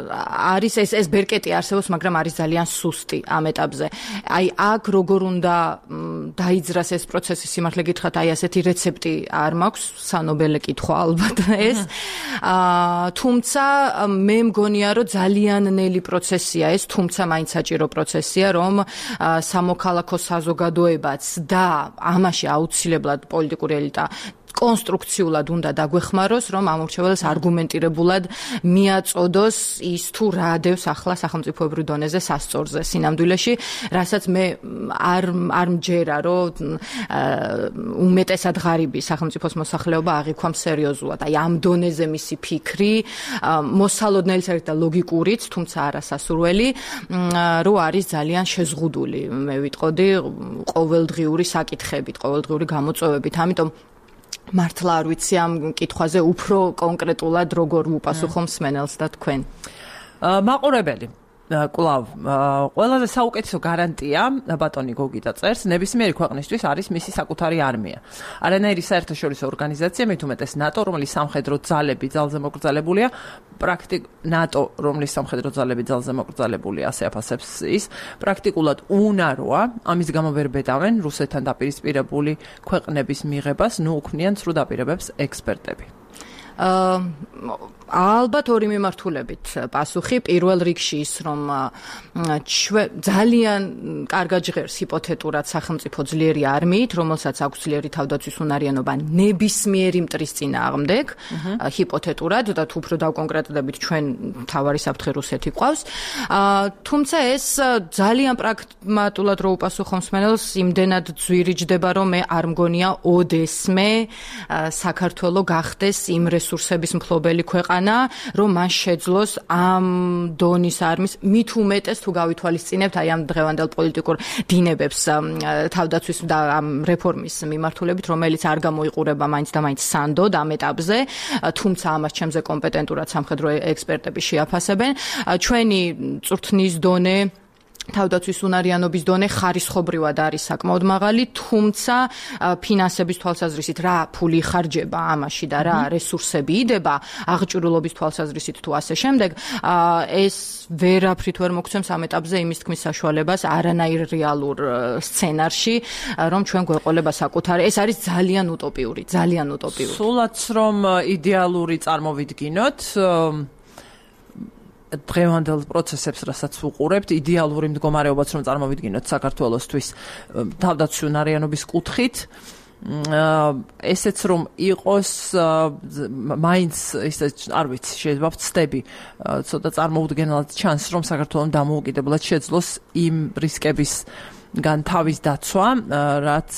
არის ეს ეს ბერკეტი არსებობს, მაგრამ არის ძალიან სუსტი ამ ეტაპზე. აი აქ როგორ უნდა დაიძრას ეს პროცესი, სიმართლე გითხრათ, აი ასეთი რეცეპტი არ მაქვს, სანობელე კითხვა ალბათ ეს. თუმცა მე მგონია, რომ ძალიან ნელი პროცესია ეს, თუმცა მაინც საჭირო პროცესია, რომ სამოქალაქო საზოგადოებაც და ამაში აუცილებლად პოლიტიკური ელიტა კონსტრუქციულად უნდა დაგვეხმაროს, რომ ამორჩეველს არგუმენტირებულად მიაწოდოს ის თუ რა ადევს ახლა სახელმწიფოებრივ დონეზე სასწორზე სინამდვილეში, რასაც მე არ არ მჯერა, რომ უმეტესად ღარიბი სახელმწიფოს მოსახლეობა აღიქვამს სერიოზულად. აი ამ დონეზე მისი ფიქრი, მოსალოდნელი საერთოდ და ლოგიკურიც, თუმცა არასასურველი, რო არის ძალიან შეზღუდული, მე ვიტყოდი, ყოველდღიური საკითხებით, ყოველდღიური გამოწვევებით. ამიტომ მართლა არ ვიცი ამ კითხვაზე უფრო კონკრეტულად როგორ უპასუხო მსმენელს და თქვენ. მაყურებელი კლავ ყველაზე საუკეთესო გარანტია ბატონი გოგიტა წერს ნებისმიერი ქვეყნისთვის არის მისი საკუთარი არმია. არანაირი საერთაშორისო ორგანიზაცია, მით უმეტეს ნატო, რომლის სამხედრო ძალები ძალზე მოკრძალებულია, პრაქტიკ ნატო, რომლის სამხედრო ძალები ძალზე მოკრძალებულია, ასე აფასებს ის, პრაქტიკულად უნაროა, ამის გამო ვერ ბედავენ რუსეთთან დაპირისპირებული ქვეყნების მიღებას, ნუ უქმნიან სრულ დაპირებებს ექსპერტები. ალბათ ორი მიმართულებით პასუხი. პირველ რიგში ის, რომ ძალიან კარგად ჟღერს ჰიპოთეტურად სახელმწიფო ძლიერი არმიით, რომელსაც აქვს ძლიერი თავდაცვის უნარიანობა ნებისმიერი მტრის წინააღმდეგ, ჰიპოთეტურად და თუ უფრო დავკონკრეტდებით, ჩვენ მთავარი საფრთხე რუსეთი ყავს. თუმცა ეს ძალიან პრაგმატულად რო უპასუხო მსმენელს, იმდენად ძვირიჯდება, რომ მე არ მგონია ოდესმე საქართველო გახდეს იმ რესურსების მფლობელი ქვეყანა, რომ მან შეძლოს ამ დონის არმის მით უმეტეს თუ გავითვალისწინებთ აი ამ დღევანდელ პოლიტიკურ დინებებს თავდაცვის და ამ რეფორმის მიმართულებით, რომელიც არ გამოიყურება მაინც და მაინც სანდოდ ამ ეტაპზე, თუმცა ამას ჩემზე კომპეტენტურად სამხედრო ექსპერტები შეაფასებენ. ჩვენი წვრთნის დონე, თავდაცვის უნარიანობის დონე ხარისხობრივად არის საკმაოდ მაღალი, თუმცა ფინანსების თვალსაზრისით რა ფული ხარჯება ამაში და რა რესურსები იდება აღჭურვილობის თვალსაზრისით თუ ასე შემდეგ, ეს ვერაფრით ვერ მოგცემს ამ ეტაპზე იმის თქმის საშუალებას არანაირ რეალურ სცენარში, რომ ჩვენ გვეყოლება საკუთარი, ეს არის ძალიან უტოპიური, ძალიან უტოპიური. სულაც რომ იდეალური წარმოვიდგინოთ, დღევანდელ პროცესებს, რასაც ვუყურებთ, იდეალური მდგომარეობაც რომ წარმოვიდგინოთ საქართველოსთვის თავდაცვის უნარიანობის კუთხით, ესეც რომ იყოს მაინც ისე არ ვიცი, შეიძლება ვცდები ცოტა წარმოუდგენლად ჩანს, რომ საქართველოს დამოუკიდებლად შეძლოს იმ რისკების გან თავის დაცვა, რაც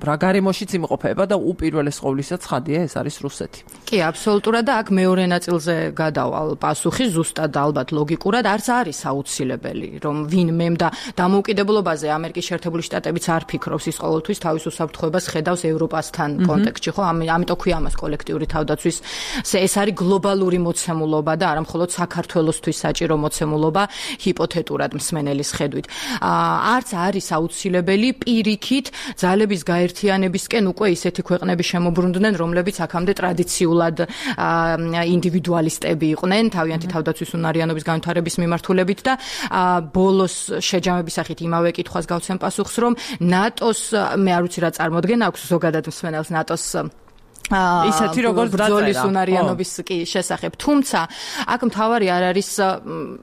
რა გარემოშიც იმყოფება და უპირველეს ყოვლისა ცხადია ეს არის რუსეთი. კი, აბსოლუტურად და აქ მეორე ნაწილზე გადავალ პასუხი, ზუსტად ალბათ ლოგიკურად არც არის აუცილებელი, რომ ვინმემ და დამოუკიდებლობაზე ამერიკის შეერთებული შტატებიც არ ფიქრობს, ის ყოველთვის თავის უსაფრთხოებას ხედავს ევროპასთან კონტექსტში, ხო? ამიტომ ქვია ამას კოლექტიური თავდაცვის, ეს არის გლობალური მოცემულობა და არა მხოლოდ საქართველოსთვის საჭირო მოცემულობა ჰიპოთეტურად მსმენელის ხედვით. არც არის არის აუცილებელი პირიქით ძალების გაერთიანებისკენ უკვე ისეთი ქვეყნები შემოbrunდნენ, რომლებიც აქამდე ტრადიციულად ინდივიდუალისტები იყვნენ, თავიანთი თავდაცვის უნარიანობის განვითარების მიმართულებით და ბოლოს შეჯამების სახით იმავე კითხვას გავცემ პასუხს, რომ ნატოს მე არ ვიცი რა წარმოდგენა აქვს ზოგადად მსმენელს ნატოს ისეთი როგორც ბრძოლის უნარიანობის კი შესახებ. თუმცა აქ მთავარი არ არის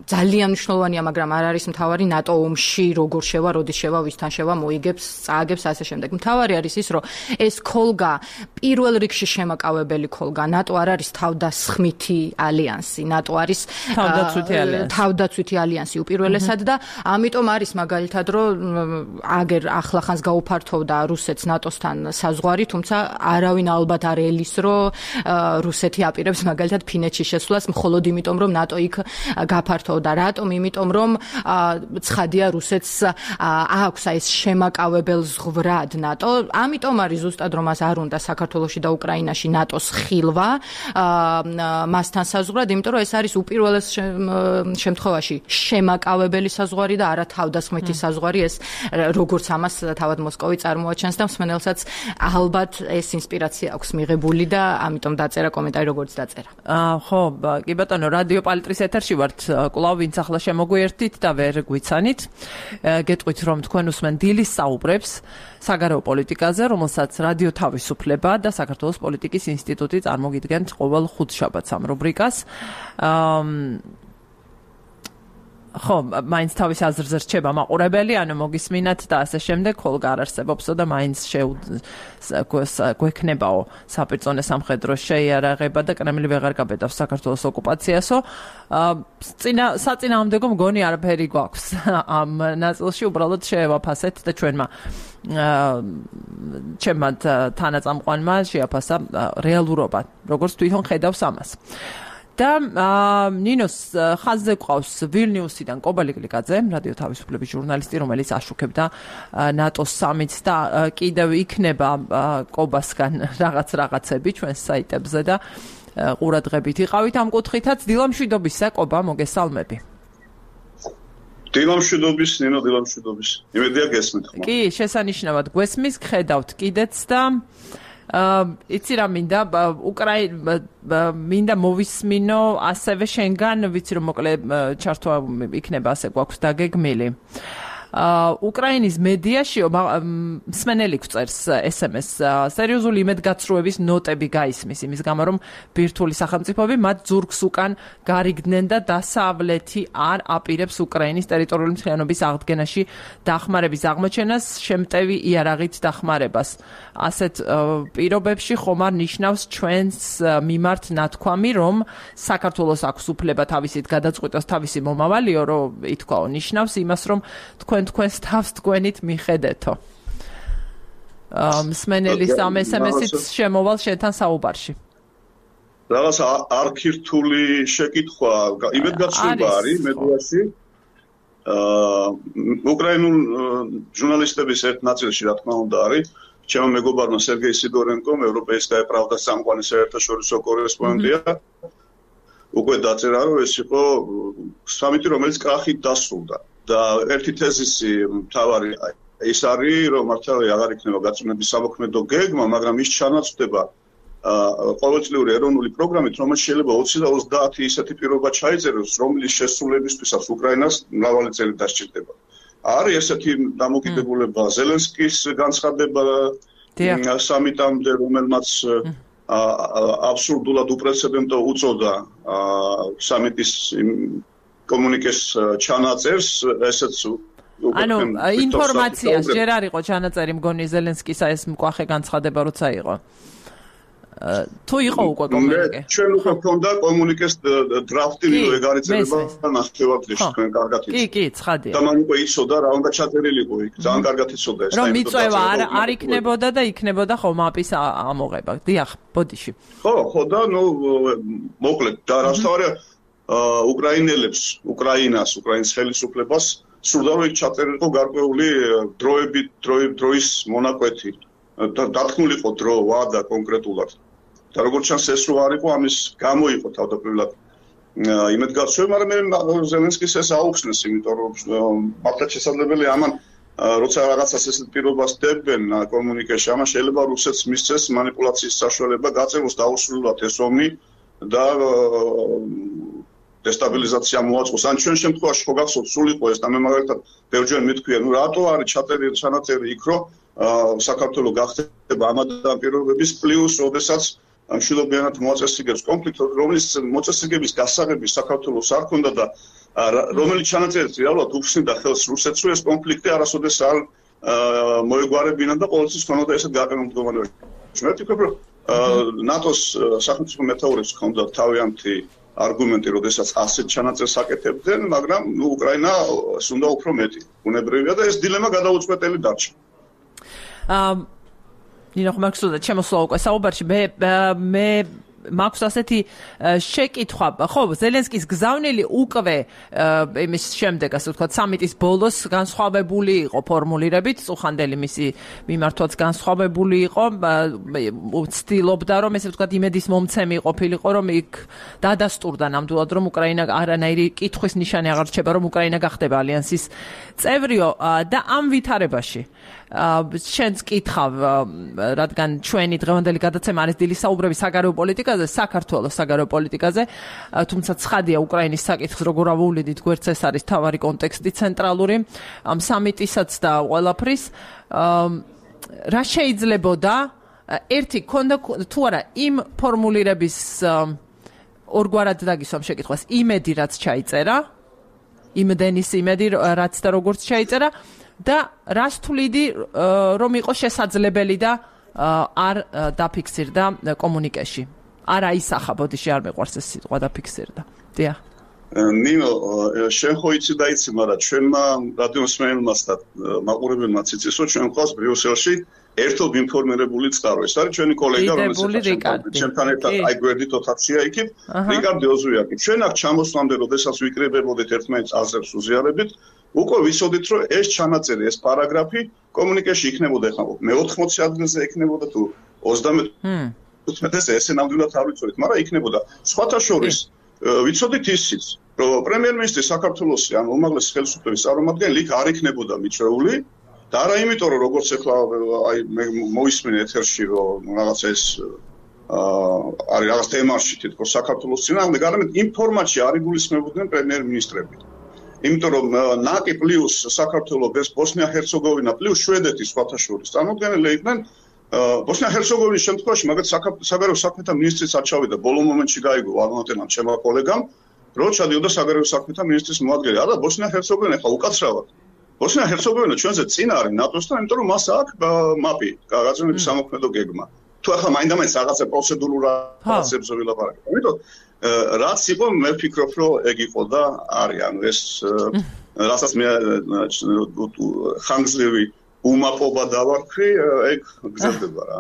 ძალიან მნიშვნელოვანია, მაგრამ არ არის მთავარი ნატო ომში როგორ შევა, როდის შევა, ვისთან შევა, მოიგებს, წააგებს ასე შემდეგ. მთავარი არის ის, რომ ეს ქოლგა პირველ რიგში შემაკავებელი ქოლგა. ნატო არ არის თავდასხმითი ალიანსი, ნატო არის თავდაცვითი ალიანსი. თავდაცვითი ალიანსი უპირველესად და ამიტომ არის მაგალითად, რომ აგერ ახლახანს გაუფართოვდა რუსეთს ნატოსთან საზღვარი, თუმცა არავინ ალბათ არ ელის, რომ რუსეთი აპირებს მაგალითად ფინეთში შესვლას მხოლოდ იმიტომ, რომ ნატო იქ გაფართოვდა. რატომ? იმიტომ, რომ ცხადია რუსეთს აქვს ეს შემაკავებელ ზღვრად ნატო. ამიტომ არის ზუსტად რომ მას არ უნდა საქართველოში და უკრაინაში ნატოს ხილვა მასთან საზღვრად, იმიტომ რომ ეს არის უპირველეს შემთხვევაში შემაკავებელი საზღვარი და არა თავდასხმითი საზღვარი. ეს როგორც ამას თავად მოსკოვი წარმოაჩენს და მსმენელსაც ალბათ ეს ინსპირაცია აქვს მიღებული და ამიტომ დაწერა კომენტარი როგორც დაწერა. აა ხო, კი ბატონო, რადიო პალიტრის ეთერში ვართ, კვლავ ვინც ახლა შემოგვიერთით და ვერ გვიცანით. გეტყვით რომ თქვენ უსმენ დილის საუბრებს საგარეო პოლიტიკაზე, რომელსაც რადიო თავისუფლება და საქართველოს პოლიტიკის ინსტიტუტი წარმოგიდგენთ ყოველ ხუთშაბათს ამ რუბრიკას. აა ხო, მაინც თავის აზრზე რჩება მაყურებელი, ანუ მოგისმინათ და ასე შემდეგ, ხოლმე არ არსებობსო და მაინც გვექნებაო საპირწონე სამხედრო შეიარაღება და კრემლი ვეღარ გაბედავს საქართველოს ოკუპაციასო. წინა საწინააღმდეგო მგონი არაფერი გვაქვს ამ ნაწილში, უბრალოდ შევაფასეთ და ჩვენმა ჩემმა თანაწამყვანმა შეაფასა რეალურობა, როგორც თვითონ ხედავს ამას. და ნინოს ხაზზე ყავს ვილნიუსიდან კობალი გლიკაძე, რადიო თავისუფლების ჟურნალისტი, რომელიც აშუქებდა ნატოს სამიტს და კიდევ იქნება კობასგან რაღაც რაღაცები ჩვენს საიტებზე და ყურადღებით იყავით ამ კუთხითაც. დილამშვიდობისა, კობა, მოგესალმები. დილამშვიდობის, ნინო, დილამშვიდობის. იმედია გესმით ხმა. კი, შესანიშნავად გვესმის, გხედავთ კიდეც და იცი რა მინდა უკრაინა მინდა მოვისმინო ასევე შენგან, ვიცი რომ მოკლე ჩართვა იქნება ასე გვაქვს დაგეგმილი. უკრაინის მედიაშიო მსმენელი გვწერს ეს ემ ეს სერიოზული იმედგაცრუების ნოტები გაისმის იმის გამო რომ ბირთვული სახელმწიფოები მათ ზურგს უკან გარიგდნენ და დასავლეთი არ აპირებს უკრაინის ტერიტორიული მთლიანობის აღდგენაში დახმარების აღმოჩენას, შემტევი იარაღით დახმარებას. ასეთ პირობებში ხომ არ ნიშნავს ჩვენს მიმართ ნათქვამი, რომ საქართველოს აქვს უფლება თავისით გადაწყვიტოს თავისი მომავალიო, რომ ითქვაო, ნიშნავს იმას, რომ თქვენ თქვენს თავს თქვენით მიხედეთო. მსმენელის ამ ეს ემ ესით შემოვალ შენთან საუბარში. რაღაც არქირთული შეკითხვა, იმედგაცრუება არის მედიაში. აა უკრაინულ ჟურნალისტების ერთ ნაწილში რა თქმა უნდა არის ჩემო მეგობარმა სერგეი სიდორენკომ, ევროპეისკაია პრავდას სამყაროს საერთაშორისო კორესპონდენტია. უკვე დაწერა რომ ეს იყო სამიტი, რომელიც კრახით დასრულდა. და ერთი თეზისი მთავარი ის არის, რომ მართალი აღარ იქნება გაწმენდების სამოქმედო გეგმა, მაგრამ ის ჩანაცვლდება ყოველწლიური ეროვნული პროგრამით, რომელიც შეიძლება ოცი და ოცდაათი ისეთი პირობა ჩაიწეროს, რომლის შესრულებისთვისაც უკრაინას მრავალი წელი დასჭირდება. არის ესეთი დამოკიდებულება ზელენსკის განცხადება სამიტამდე, რომელმაც აბსურდულად უპრეცედენტო უწოდა სამიტის კომუნიკეს ჩანაწერს, ესეც ანუ ინფორმაციას ჯერ არ იყო ჩანაწერი მგონი ზელენსკისა ეს მკვახე განცხადება როცა იყო. თუ იყო უკვე კომუნიკე. ჩვენ უკვე ქონდა კომუნიკეს დრაფტი, რომ ეგ არის წერება ნახევარდღეში თქვენ კარგად იცით. კი, კი, ცხადია. და მან უკვე იცოდა რა უნდა ჩაწერილიყო იქ, ძალიან კარგად იცოდა ეს. რომ მიწვევა არ არ იქნებოდა და იქნებოდა ხო მაპის ამოღება. დიახ, ბოდიში. ხო, ხო და ნუ მოკლედ და რასთავარია უკრაინელებს, უკრაინას, უკრაინის ხელისუფლებას სურდა რომ იქ ჩაწერილიყო გარკვეული დროებით, დროის მონაკვეთი. დათქმულიყო დრო, ვადა კონკრეტულად. და როგორც ჩანს ეს რო არ იყო, ამის გამო იყო თავდაპირველად იმედგაცრუება, მაგრამ მე ზელენსკის ეს აუხსნეს, იმიტომ რომ მართლაც შესაძლებელია ამან როცა რაღაცას ესეთ პირობას დებენ კომუნიკაციაში, ამას შეიძლება რუსეთს მისცეს მანიპულაციის საშუალება, გაწევოს დაუსრულებლად ეს ომი და დესტაბილიზაცია მოაწყოს. ან ჩვენ შემთხვევაში ხო გახსოვთ სულ იყო ეს და მე მაგალითად ბევრჯერ მithქვია, ნუ რატო არის ჩაწერილი ჩანაწერი იქ, რომ საქართველოს გახდება ამ ადამიანის პირობების პლუს, ოდესაც მშვიდობიანად მოაწესრიგებს კონფლიქტს, რომლის მოწესრიგების გასაღები საქართველოს არ ქონდა და რომელიც ჩანაწერით რეალურად უფსნიდა ხელს რუსეთს, რომ ეს კონფლიქტი არასოდეს არ მოეგვარებინა და ყოველთვის ქონოდა ესეთ გაყინულ მდგომარეობაში. მე ვფიქრობ, რომ ნატოს სახელმწიფო მეთაურებს ქონდა თავიანთი არგუმენტი, როდესაც ასეთ ჩანაწერს აკეთებდნენ, მაგრამ ნუ უკრაინას უნდა უფრო მეტი. უნებრივია და ეს დილემა გადაუწყვეტელი დარჩა. აა ნინო ხმარქსუდა ჩემოსვლა უკვე საუბარში მე მე მაქვს ასეთი შეკითხვა, ხო, ზელენსკის გზავნილი უკვე იმის შემდეგ, ასე ვთქვათ, სამიტის ბოლოს განსხვავებული იყო ფორმულირებით, წუხანდელი მისი მიმართვაც განსხვავებული იყო, ცდილობდა, რომ ესე ვთქვათ, იმედის მომცემი ყოფილიყო, რომ იქ დადასტურდა ნამდვილად, რომ უკრაინა არანაირი კითხვის ნიშანი აღარ რჩება, რომ უკრაინა გახდება ალიანსის წევრიო და ამ ვითარებაში შენს კითხავ, რადგან ჩვენი დღევანდელი გადაცემა არის დილის საუბრები საგარეო პოლიტიკაზე, საქართველოს საგარეო პოლიტიკაზე, თუმცა ცხადია უკრაინის საკითხს როგორ ავუვლიდით, გვერდს ეს არის თავარი კონტექსტი ცენტრალური ამ სამიტისაც და ყველაფრის. რა შეიძლებოდა ერთი ქონდა თუ არა იმ ფორმულირების ორგვარად დაგისვამ შეკითხვას, იმედი რაც ჩაიწერა, იმდენის იმედი რაც და როგორც ჩაიწერა და რას თვლიდი რომ იყო შესაძლებელი და არ დაფიქსირდა კომუნიკეში. არ აისახა, ბოდიში არ მეყვარს ეს სიტყვა დაფიქსირდა. დიახ. ნინო, შენ ხო იცი და იცი, მაგრამ ჩვენმა რადიოსმენელმა და მაყურებელმაც იცის, რომ ჩვენ ყავს ბრიუსელში ერთობ ინფორმირებული წყარო. ეს არის ჩვენი კოლეგა, რომელიც ჩვენთან ერთად აი გვერდით ოთახშია იქით, რიკარდი ოზუიაკი. ჩვენ აქ ჩამოსვლამდე, როდესაც ვიკრიბებოდით ერთმანეთს აზრებს უზიარებით, უკვე ვიცოდით, რომ ეს ჩანაწერი, ეს პარაგრაფი კომუნიკეში იქნებოდა ხა მეოთხმოცი ადგილზე იქნებოდა თუ ოცდამეტ ესე ნამდვილად არ ვიცოდით, მაგრამ იქნებოდა. სხვათა შორის ვიცოდით ისიც, რომ პრემიერ-მინისტრი საქართველოს ან უმაღლესი ხელისუფლების წარმომადგენელი იქ არ იქნებოდა მიჩეული და არა იმიტომ, რომ როგორც ახლა აი მოისმინე ეთერში, რომ რაღაცა ეს არის რაღაც თემაში თითქოს საქართველოს წინააღმდეგ, არამედ იმ ფორმატში არ იგულისხმებოდნენ პრემიერ-მინისტრები. იმიტომ რომ ნაკი პლუს საქართველოს ეს ბოსნია-ჰერცეგოვინა პლუს შვედეთი სხვათა შორის წარმოადგენელი იყვნენ ბოსნია-ჰერცეგოვინის შემთხვევაში, მაგათ საგარეო საქმეთა მინისტრიც არ ჩავიდა, ბოლო მომენტში გაიგო აღმოჩენამ ჩემმა კოლეგამ, რომ ჩადიოდა საგარეო საქმეთა მინისტრის მოადგილე. არა, ბოსნია-ჰერცეგოვინა ხა უკაცრავად. ბოსნია-ჰერცეგოვინა ჩვენზე წინ არის ნატოსთან, იმიტომ რომ მას აქვს მაპი, გაწევნების სამოქმედო გეგმა. თუ ახლა მაინდა-მაინც რაღაცა პროცედურულ რაღაცებს ვილაპარაკებ. ამიტომ რაც იყო, მე ვფიქრობ, რომ ეგ იყო და არის, ანუ ეს რასაც მე ხანგრძლივი უმაპობა დავარქვი, ეგ გზდება რა.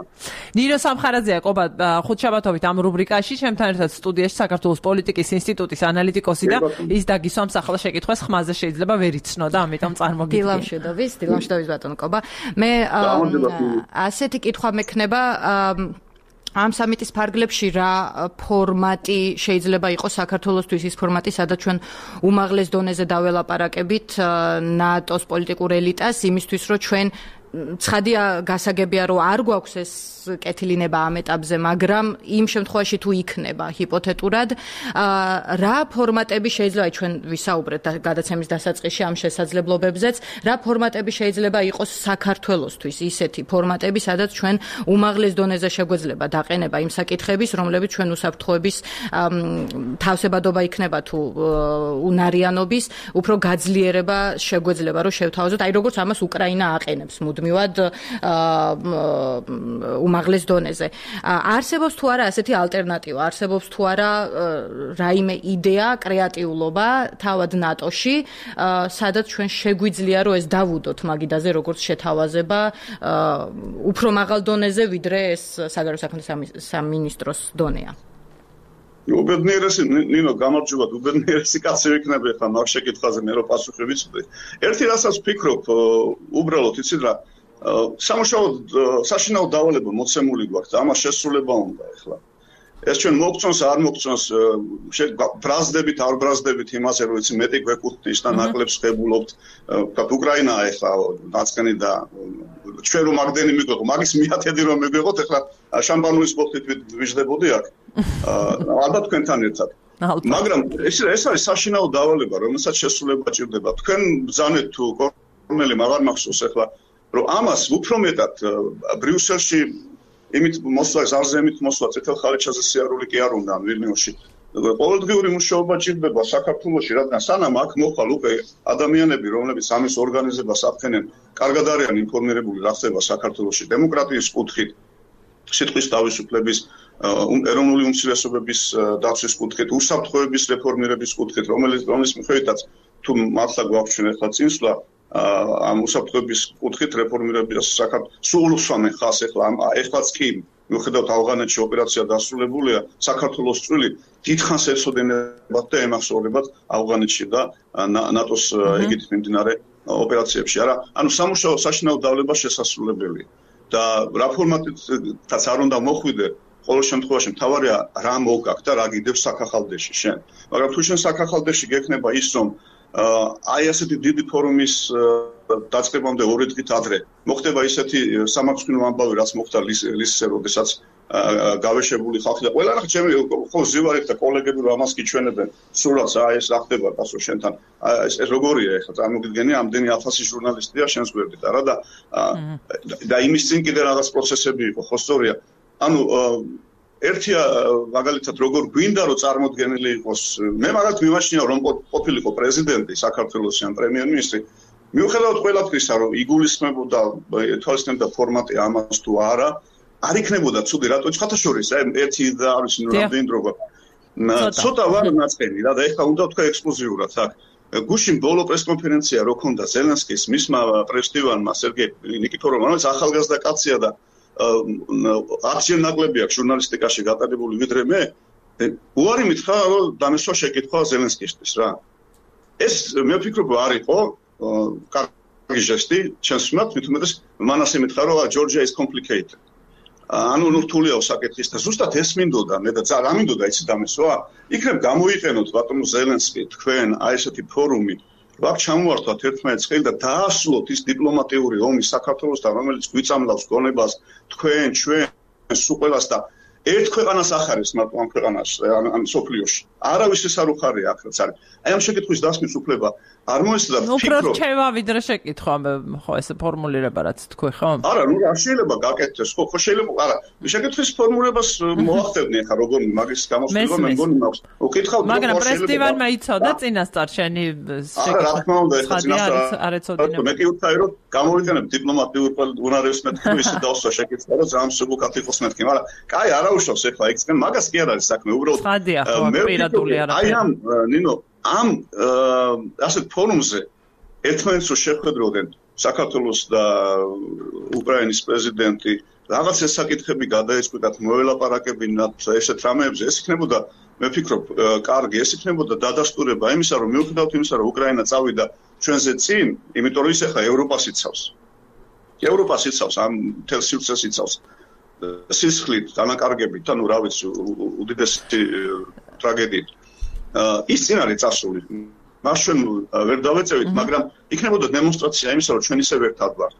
ნინო სამხარაძეა, ყობა ხუთშაბათობით ამ რუბრიკაში, ჩემთან ერთად სტუდიაში საქართველოს პოლიტიკის ინსტიტუტის ანალიტიკოსი და ის დაგისვამს ახლა შეკითხვას ხმაზე შეიძლება ვერ იცნოდა, ამიტომ წარმოგიდგენთ. დილამშვიდობის, დილამშვიდობის ბატონო ყობა. მე ასეთი კითხვა მექნება ამ სამიტის ფარგლებში რა ფორმატი შეიძლება იყოს საქართველოსთვის ის ფორმატი, სადაც ჩვენ უმაღლეს დონეზე დაველაპარაკებით ნატოს პოლიტიკურ ელიტას იმისთვის, რომ ჩვენ ცხადია გასაგებია, რომ არ გვაქვს ეს კეთილინება ამ ეტაპზე, მაგრამ იმ შემთხვევაში თუ იქნება ჰიპოთეტურად, რა ფორმატები შეიძლება ჩვენ ვისაუბრეთ გადაცემის დასაწყისში ამ შესაძლებლობებზეც, რა ფორმატები შეიძლება იყოს საქართველოსთვის ისეთი ფორმატები, სადაც ჩვენ უმაღლეს დონეზე შეგვეძლება დაყენება იმ საკითხების, რომლებიც ჩვენ უსაფრთხოების თავსებადობა იქნება თუ უნარიანობის, უფრო გაძლიერება შეგვეძლება, რომ შევთავაზოთ, აი როგორც ამას უკრაინა აყენებს მუდმივად უმაღლეს დონეზე. არსებობს თუ არა ასეთი ალტერნატივა, არსებობს თუ არა რაიმე იდეა, კრეატიულობა თავად ნატოში, სადაც ჩვენ შეგვიძლია რომ ეს დავუდოთ მაგიდაზე, როგორც შეთავაზება უფრო მაღალ დონეზე, ვიდრე ეს საგარეო საქმეთა სამინისტროს დონეა. უბედნიერესი ნინო, გამარჯობა, უბედნიერესი კაცი ვიქნები ხა მაგ შეკითხვაზე მე რო პასუხი ვიცოდე. ერთი რასაც ვფიქრობ, უბრალოდ იცით რა, სამუშაო საშინაო დავალება მოცემული გვაქვს და ამას შესრულება უნდა ახლა. ეს ჩვენ მოგწონს არ მოგწონს ბრაზდებით არ ბრაზდებით იმაზე რომ იცი მეტი გვეკუთვნის და ნაკლებს ხებულობთ ვთქვათ უკრაინა ეხლა დაწყენი და ჩვენ რომ მაგდენი მიგვეღო მაგის მიათედი რომ მიგვეღოთ ეხლა შამპანუის ბოთლით ვიждდებოდი აქ ალბათ თქვენთან ერთად მაგრამ ეს ეს არის საშინაო დავალება რომელსაც შესრულება ჭირდება თქვენ ბრძანეთ თუ კორნელი მაგარ მახსოვს ეხლა რომ ამას უფრო მეტად ბრიუსელში იმით მოსვლა ზარზემით მოსვლა წითელ ხალიჩაზე სიარული კი არ უნდა ვილნიუსში ყოველდღიური მუშაობა ჭირდება საქართველოში რადგან სანამ აქ მოხვალ უკვე ადამიანები რომლებიც ამის ორგანიზებას აფხენენ კარგად არიან ინფორმირებული რა ხდება საქართველოში დემოკრატიის კუთხით სიტყვის თავისუფლების ეროვნული უმცირესობების დაცვის კუთხით უსაფრთხოების რეფორმირების კუთხით რომელიც რომლის მიხედვითაც თუ მართლა გვაქვს ჩვენ ახლა წინსვლა ამ უსაფრთხოების კუთხით რეფორმირებას საქართველოს სულ უსვამენ ხას ახლა ეხლაც კი მიუხედავად ავღანეთში ოპერაცია დასრულებულია საქართველოს წვლილი დიდხანს ეცოდინებათ და ემახსოვრებათ ავღანეთში და ნატოს ეგეთ მიმდინარე ოპერაციებში არა ანუ სამუშაო საშინაო დავლება შესაძლებელია და რა ფორმატითაც არ უნდა მოხვიდე ყოველ შემთხვევაში მთავარია რა მოგაქვს და რა გიდევს საქახალდეში შენ მაგრამ თუ შენ საქახალდეში გექნება ის რომ აი ასეთი დიდი ფორუმის დაწყებამდე ორი დღით ადრე მოხდება ისეთი სამართლმსაჯულო ამბავი რაც მოხდა ლისზე როდესაც გავეშებული ხალხი და ყველა რა ჩემი ხო ზივარით და კოლეგები რომ ამას გიჩვენებენ სულაც აი ეს რა ხდება პასო შენთან ეს როგორია ეხლა წარმოგიდგენი ამდენი ათასი ჟურნალისტია შენს გვერდით არა და და იმის წინ კიდე რაღაც პროცესები იყო ხო სწორია ანუ ერთია მაგალითად როგორ გვინდა რომ წარმოდგენილი იყოს მე მაგათ მიმაჩნია რომ ყოფილიყო პრეზიდენტი საქართველოს ან პრემიერ-მინისტრი მიუხედავად ყველაფრისა რომ იგულისხმებოდა თვალისწინებდა ფორმატი ამას თუ არა არ იქნებოდა ცუდი რატო ხათაშორის ერთი და არ ვიცი ნუ რამდენი დრო ცოტა ვარ ნაწყენი რა და ეხლა უნდა თქვა ექსკლუზიურად აქ გუშინ ბოლო პრესკონფერენცია რო ქონდა ზელენსკის მისმა პრესტივანმა სერგეი ნიკიფოროვმა რომელიც ახალგაზრდა კაცია და არჩევ ნაკლები აქვს ჟურნალისტიკაში გატარებული ვიდრე მე უარი მითხრა რომ დამესვა შეკითხვა ზელენსკისთვის რა ეს მე ვფიქრობ არ იყო კარგი ჟესტი ჩემს მიმართ მით უმეტეს მანასე მითხრა რომ Georgia is complicated ანუ ნურთულია საკითხის და ზუსტად ეს მინდოდა მე და რა მინდოდა იცი დამესვა იქნებ გამოიყენოთ ბატონო ზელენსკი თქვენ აი ესეთი ფორუმი ვაკ ჩამოვართვათ ერთმანეთს ხელი და დაასრულოთ ის დიპლომატიური ომი საქართველოსთან რომელიც გვიწამლავს გონებას თქვენ ჩვენ სულ ყველას და ერთ ქვეყანას ახარებს მარტო ამ ქვეყანას ან სოფლიოში არავის ეს არ უხარია აქ რაც არის აი ამ შეკითხვის დასმის უფლება არ მოესწრა ფიქრო უფრო რჩევა ვიდრე შეკითხვა ხო ეს ფორმულირება რაც თქვი ხო არა ნუ არ შეიძლება გაკეთდეს ხო ხო შეიძლება არა შეკითხვის ფორმულირებას მოახდენე ხა როგორ მაგის გამოსვლება მე მგონი მაქვს უკითხავ მაგრამ პრესტივანმა იცოდა წინასწარ შენი შეკითხვა რა თქმა უნდა ეხლა წინასწარ არ ეცოდინება მე კი ვთქვი რომ გამოვიყენებ დიპლომატიურ უნარებს მეთქი ისე დავსვა შეკითხვა რომ ძალიან სუბუქად იყოს მეთქი მაგრამ კაი არა უშავს ეხლა იქცენ მაგას კი არ არის საქმე უბრალოდ მე პირადული არა აი ამ ნინო ამ ასეთ ფორუმზე ერთმანეთს შეხვედროდნენ საქართველოს და უკრაინის პრეზიდენტი რაღაც ეს საკითხები გადაეწყვიტათ მოელაპარაკებინათ ესეთ რამეებზე ეს იქნებოდა მე ვფიქრობ კარგი ეს იქნებოდა დადასტურება იმისა რომ მიუხედავად იმისა რომ უკრაინა წავიდა ჩვენზე წინ იმიტომ რომ ის ახლა ევროპას იცავს ევროპას იცავს ამ მთელ სივრცეს იცავს სისხლით დანაკარგებით ანუ რა ვიცი უდიდესი ტრაგედიით ის წინ არის წასული მას ჩვენ ვერ დავეწევით მაგრამ იქნებოდა დემონსტრაცია იმისა რომ ჩვენ ისე ვერთად ვართ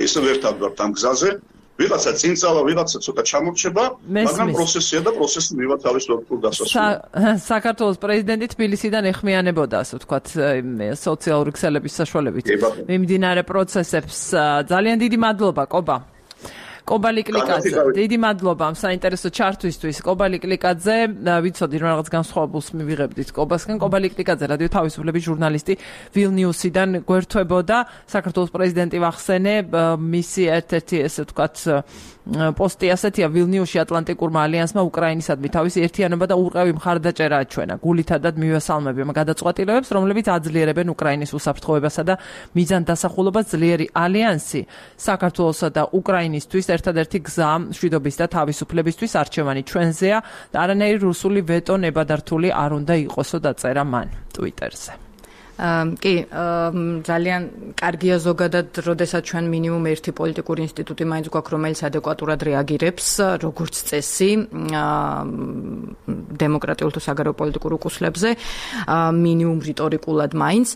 ისე ვერთად ვართ ამ გზაზე ვიღაცა წინ წავა ვიღაცა ცოტა ჩამორჩება მაგრამ პროცესია და პროცესი მივა თავის ლოგიკურ დასასრულს საქართველოს პრეზიდენტი თბილისიდან ეხმიანებოდა ასე ვთქვათ სოციალური ქსელების საშუალებით მიმდინარე პროცესებს ძალიან დიდი მადლობა კობა კობალი კლიკაძე დიდი მადლობა ამ საინტერესო ჩართვისთვის კობალი კლიკაძე ვიცოდი რომ რაღაც განსხვავებულს მივიღებდით კობასგან კობალი კლიკაძე რადიო თავისუფლების ჟურნალისტი ვილნიუსიდან გვერდთვებოდა საქართველოს პრეზიდენტი ვახსენე მისი ერთ-ერთი ესე ვთქვათ პოსტი ასეთია ვილნიუსში ატლანტიკურმა ალიანსმა უკრაინისადმი თავისი ერთიანობა და უყევი მხარდაჭერა აჩვენა გულითადად მივესალმებიან გადაწყვეტილებებს რომლებიც აძლიერებენ უკრაინის უსაფრთხოებასა და მიზან დასახულობას ძლიერი ალიანსი საქართველოსა და უკრაინისთვის ერთადერთი გზა მშვიდობის და თავისუფლებისთვის არჩევანი ჩვენზეა და არანაირი რუსული ვეტო ნებადართული არ უნდა იყოსო დაწერა მან ტვიტერზე კი, ძალიან კარგია ზოგადად, როდესაც ჩვენ მინიმუმ ერთი პოლიტიკური ინსტიტუტი მაინც გვაქვს, რომელიც ადეკვატურად რეაგირებს, როგორც წესი, დემოკრატიულ თუ საგარეო პოლიტიკურ უკუსლებზე, მინიმუმ რიტორიკულად მაინც.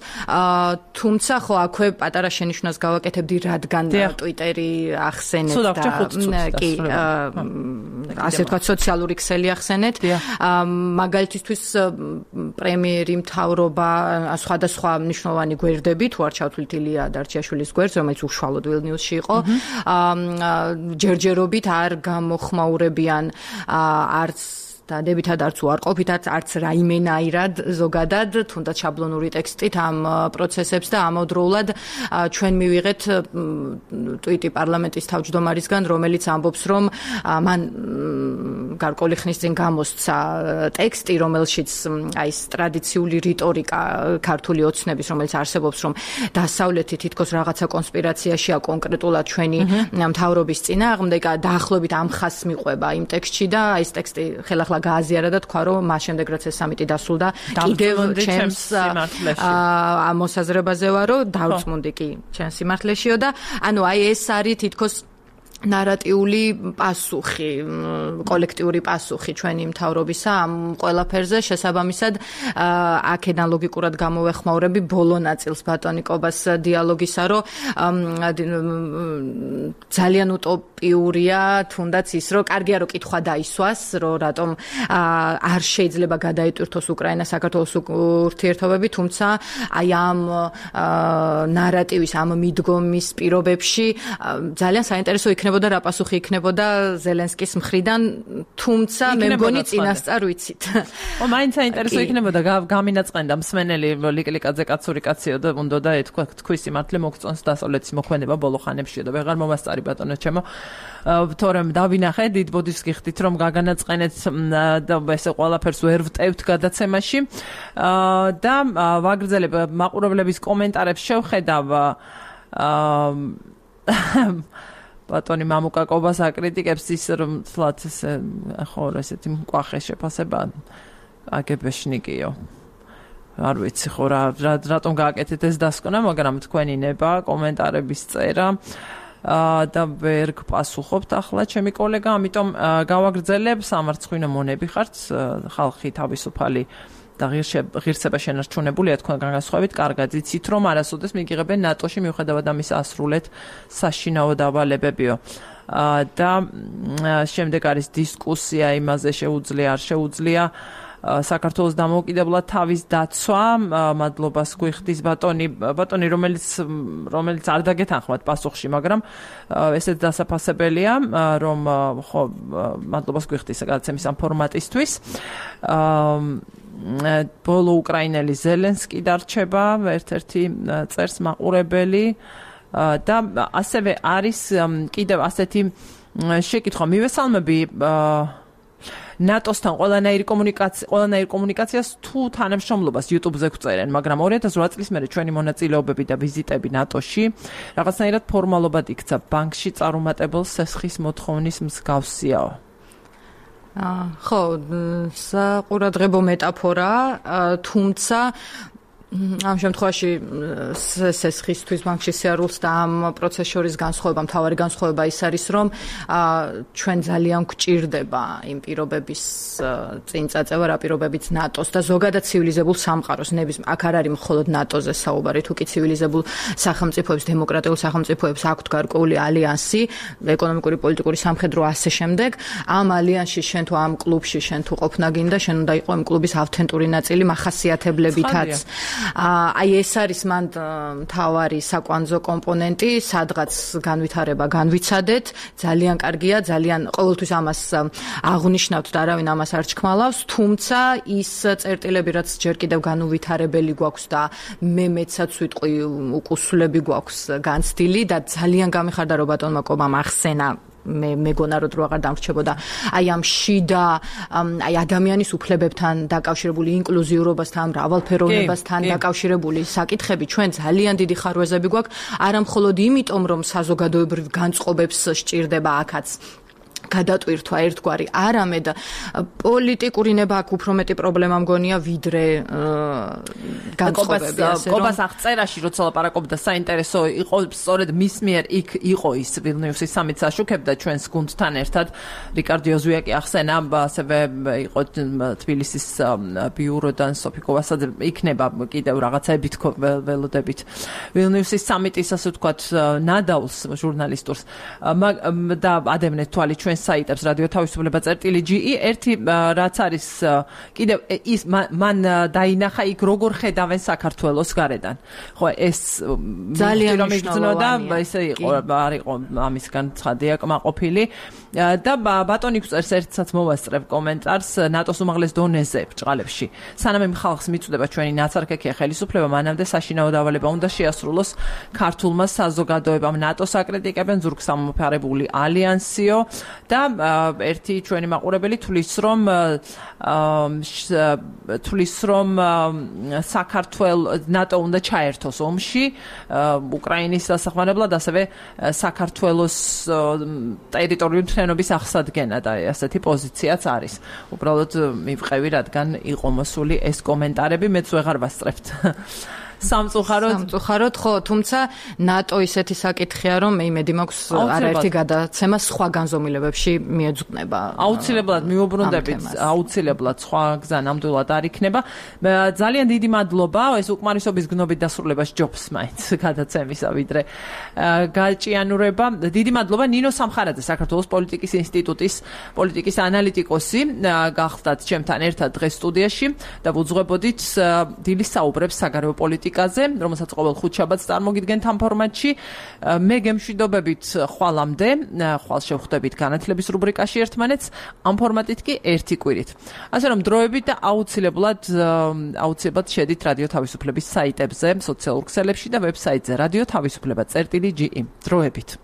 თუმცა ხო აქვე პატარა შენიშვნას გავაკეთებდი, რადგან ტვიტერი ახსენეთ და კი, ასე ვთქვათ, სოციალური ქსელი ახსენეთ. მაგალითისთვის პრემიერი, მთავრობა, სხვადასხვა სხვა მნიშვნელოვანი გვერდები, თუ არ ჩავთვლით ილია დარჩიაშვილის გვერდს, რომელიც უშუალოდ ვილნიუსში იყო, ჯერჯერობით არ გამოხმაურებიან არც დადებითად არც უარყოფითად, არც რაიმენაირად ზოგადად, თუნდაც შაბლონური ტექსტით ამ პროცესებს და ამავდროულად ჩვენ მივიღეთ ტვიტი პარლამენტის თავმჯდომარისგან, რომელიც ამბობს, რომ მან გარკვეული ხნის წინ გამოსცა ტექსტი, რომელშიც აი ეს ტრადიციული რიტორიკა ქართული ოცნების, რომელიც არსებობს, რომ დასავლეთი თითქოს რაღაცა კონსპირაციაშია კონკრეტულად ჩვენი მთავრობის წინააღმდეგ, დაახლოებით ამ ხაზს მიყვება იმ ტექსტში და აი ეს ტექსტი ხელახლა გააზიარა და თქვა, რომ მას შემდეგ რაც ეს სამიტი დასრულდა, კიდევ ჩემს მოსაზრებაზე ვარო, დავწმუნდი კი ჩემს სიმართლეშიო და ანუ აი ეს არის თითქოს ნარატიული პასუხი, კოლექტიური პასუხი ჩვენი მთავრობისა ამ ყველაფერზე, შესაბამისად აქედან ლოგიკურად გამოვეხმაურები ბოლო ნაწილს ბატონი კობას დიალოგისა, რომ ძალიან утоპიურია თუნდაც ის, რომ კარგია რომ კითხვა დაისვას, რომ რატომ არ შეიძლება გადაიტვირთოს უკრაინა საქართველოს ურთიერთობები, თუმცა აი ამ ნარატივის, ამ მიდგომის პირობებში ძალიან საინტერესო იქნება და რა პასუხი იქნებოდა ზელენსკის მხრიდან, თუმცა მე მგონი წინასწარ ვიცით. ო, მაინც საინტერესო იქნებოდა გამინაწყენდა მსმენელი ლიკლიკაძე კაცური კაციო და უნდა და ეთქვა თქვის სიმართლე მოგწონს დასავლეთის მოქმედება ბოლო ხანებში და ვეღარ მომასწარი ბატონო ჩემო. თორემ დავინახე, დიდ ბოდიშს გიხდით, რომ გაგანაწყენეთ და ესე ყველაფერს ვერ ვტევთ გადაცემაში და ვაგრძელებ მაყურებლების კომენტარებს შევხედავ ბატონი მამუკა კობას აკრიტიკებს ის, რომ თლათ ესე ხო ესეთი მკვახე შეფასება აგებეშნიკიო. არ ვიცი ხო რა რატომ გააკეთეთ ეს დასკვნა, მაგრამ თქვენი ნება კომენტარების წერა და ვერ გპასუხობთ ახლა ჩემი კოლეგა, ამიტომ გავაგრძელებ, სამარცხვინო მონები ხართ, ხალხი თავისუფალი და ღირსება შენარჩუნებულია თქვენ განსხვავებით, კარგად იცით, რომ არასოდეს მიგიღებენ ნატოში მიუხედავად ამის ასრულეთ საშინაო დავალებებიო. და შემდეგ არის დისკუსია იმაზე შეუძლია არ შეუძლია საქართველოს დამოუკიდებლად თავის დაცვა, მადლობას გვიხდის ბატონი, ბატონი რომელიც რომელიც არ დაგეთანხმათ პასუხში, მაგრამ ესეც დასაფასებელია, რომ ხო მადლობას გვიხდის გადაცემის ამ ფორმატისთვის. ბოლო უკრაინელი ზელენსკი დარჩება, ერთ-ერთი წერს მაყურებელი და ასევე არის კიდევ ასეთი შეკითხვა, მივესალმები ნატოსთან ყველანაირი კომუნიკაცია, ყველანაირი კომუნიკაციას თუ თანამშრომლობას YouTube-ზე გვწერენ, მაგრამ ორი ათას ოთხ წლის მერე ჩვენი მონაწილეობები და ვიზიტები ნატოში რაღაცნაირად ფორმალობად იქცა, ბანკში წარუმატებელ სესხის მოთხოვნის მსგავსიაო. ხო, საყურადღებო მეტაფორა, თუმცა ამ შემთხვევაში სესხისთვის ბანკში სიარულს და ამ პროცესს შორის განსხვავება, მთავარი განსხვავება ის არის, რომ ჩვენ ძალიან გვჭირდება იმ პირობების წინ წაწევა, რა პირობებიც ნატოს და ზოგადად ცივილიზებულ სამყაროს, ნებისმიერ აქ არ არის მხოლოდ ნატოზე საუბარი, თუ კი ცივილიზებულ სახელმწიფოებს, დემოკრატიულ სახელმწიფოებს აქვთ გარკვეული ალიანსი, ეკონომიკური, პოლიტიკური, სამხედრო ასე შემდეგ, ამ ალიანსში შენ თუ ამ კლუბში შენ თუ ყოფნა გინდა, შენ უნდა იყო იმ კლუბის ავთენტური ნაწილი მახასიათებლებითაც. აი ეს არის მან მთავარი საკვანძო კომპონენტი, სადღაც განვითარება განვიცადეთ, ძალიან კარგია, ძალიან ყოველთვის ამას აღნიშნავთ და არავინ ამას არ ჩქმალავს, თუმცა ის წერტილები, რაც ჯერ კიდევ განუვითარებელი გვაქვს და მე მეცაც ვიტყვი უკუსლები გვაქვს განცდილი და ძალიან გამიხარდა რომ ბატონმა კობამ ახსენა მე მეგონა რომ დრო აღარ დამრჩებოდა აი ამ შიდა აი ადამიანის უფლებებთან დაკავშირებული ინკლუზიურობასთან, მრავალფეროვნებასთან დაკავშირებული საკითხები ჩვენ ძალიან დიდი ხარვეზები გვაქვს, არა მხოლოდ იმიტომ რომ საზოგადოებრივ განწყობებს სჭირდება აქაც გადატვირთვა ერთგვარი არამედ პოლიტიკური ნება აქ უფრო მეტი პრობლემა მგონია ვიდრე განწყობები ასე რომ კობას აღწერაში როცა ლაპარაკობდა საინტერესო იყო სწორედ მის მიერ იქ იყო ის ვილნიუსის სამიტს აშუქებდა ჩვენს გუნდთან ერთად რიკარდ იოზუაკი ახსენა ასევე იყო თბილისის ბიუროდან სოფი კოვასაძე იქნება კიდევ რაღაცები თქო ველოდებით ვილნიუსის სამიტის ასე ვთქვათ ნადავლს ჟურნალისტურს და ადევნეთ თვალი ჩვენ საიტებს რადიო თავისუფლება წერტილი ჯი ერთი რაც არის კიდევ ის მან დაინახა იქ როგორ ხედავენ საქართველოს გარედან ხო ეს ძალიან რომ იგრძნოდა ესე იყო არ იყო ამისგან ცხადია კმაყოფილი და ბატონი გვწერს ერთსაც მოვასწრებ კომენტარს ნატოს უმაღლეს დონეზე ბჭყალებში სანამ იმ ხალხს მიწვდება ჩვენი ნაცარქექია ხელისუფლება მანამდე საშინაო დავალება უნდა შეასრულოს ქართულმა საზოგადოებამ ნატოს აკრიტიკებენ ზურგს ამოფარებული ალიანსიო და ერთი ჩვენი მაყურებელი თulis რომ თulis რომ საქართველოს ნატო უნდა ჩაერთოს ომში უკრაინის დასახმარებლად ასევე საქართველოს ტერიტორიული მთლიანობის აღსადგენა და ასეთი პოზიციაც არის. უბრალოდ მივყევი რადგან იყო მოსული ეს კომენტარები მეც ვეღარ ვასწრებთ. სამწუხაროდ სამწუხაროდ ხო თუმცა ნატო ისეთი საკითხია რომ მე იმედი მაქვს არაერთი გადაცემა სხვა განზომილებებში მიეძღვნება აუცილებლად მიუბრუნდებით აუცილებლად სხვა გზა ნამდვილად არ იქნება ძალიან დიდი მადლობა ეს უკმარისობის გნობით დასრულებას ჯობს მაინც გადაცემისა ვიდრე გაჭიანურება დიდი მადლობა ნინო სამხარაძე საქართველოს პოლიტიკის ინსტიტუტის პოლიტიკის ანალიტიკოსი გახდათ ჩემთან ერთად დღეს სტუდიაში და ვუძღვებოდით დილის საუბრებს საგარეო პოლიტიკაზე რომელსაც ყოველ ხუთშაბათს წარმოგიდგენთ ამ ფორმატში მე გემშვიდობებით ხვალამდე ხვალ შევხვდებით განათლების რუბრიკაში ერთმანეთს ამ ფორმატით კი ერთი კვირით ასე რომ დროებით და აუცილებლად აუცილებლად შედით რადიო თავისუფლების საიტებზე სოციალურ ქსელებში და ვებსაიტზე რადიო თავისუფლება წერტილი ჯი დროებით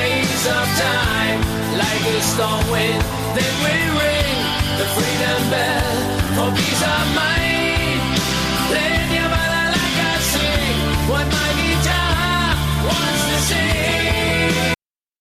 days of time, like a storm wind, then we ring the freedom bell for peace of mind. Play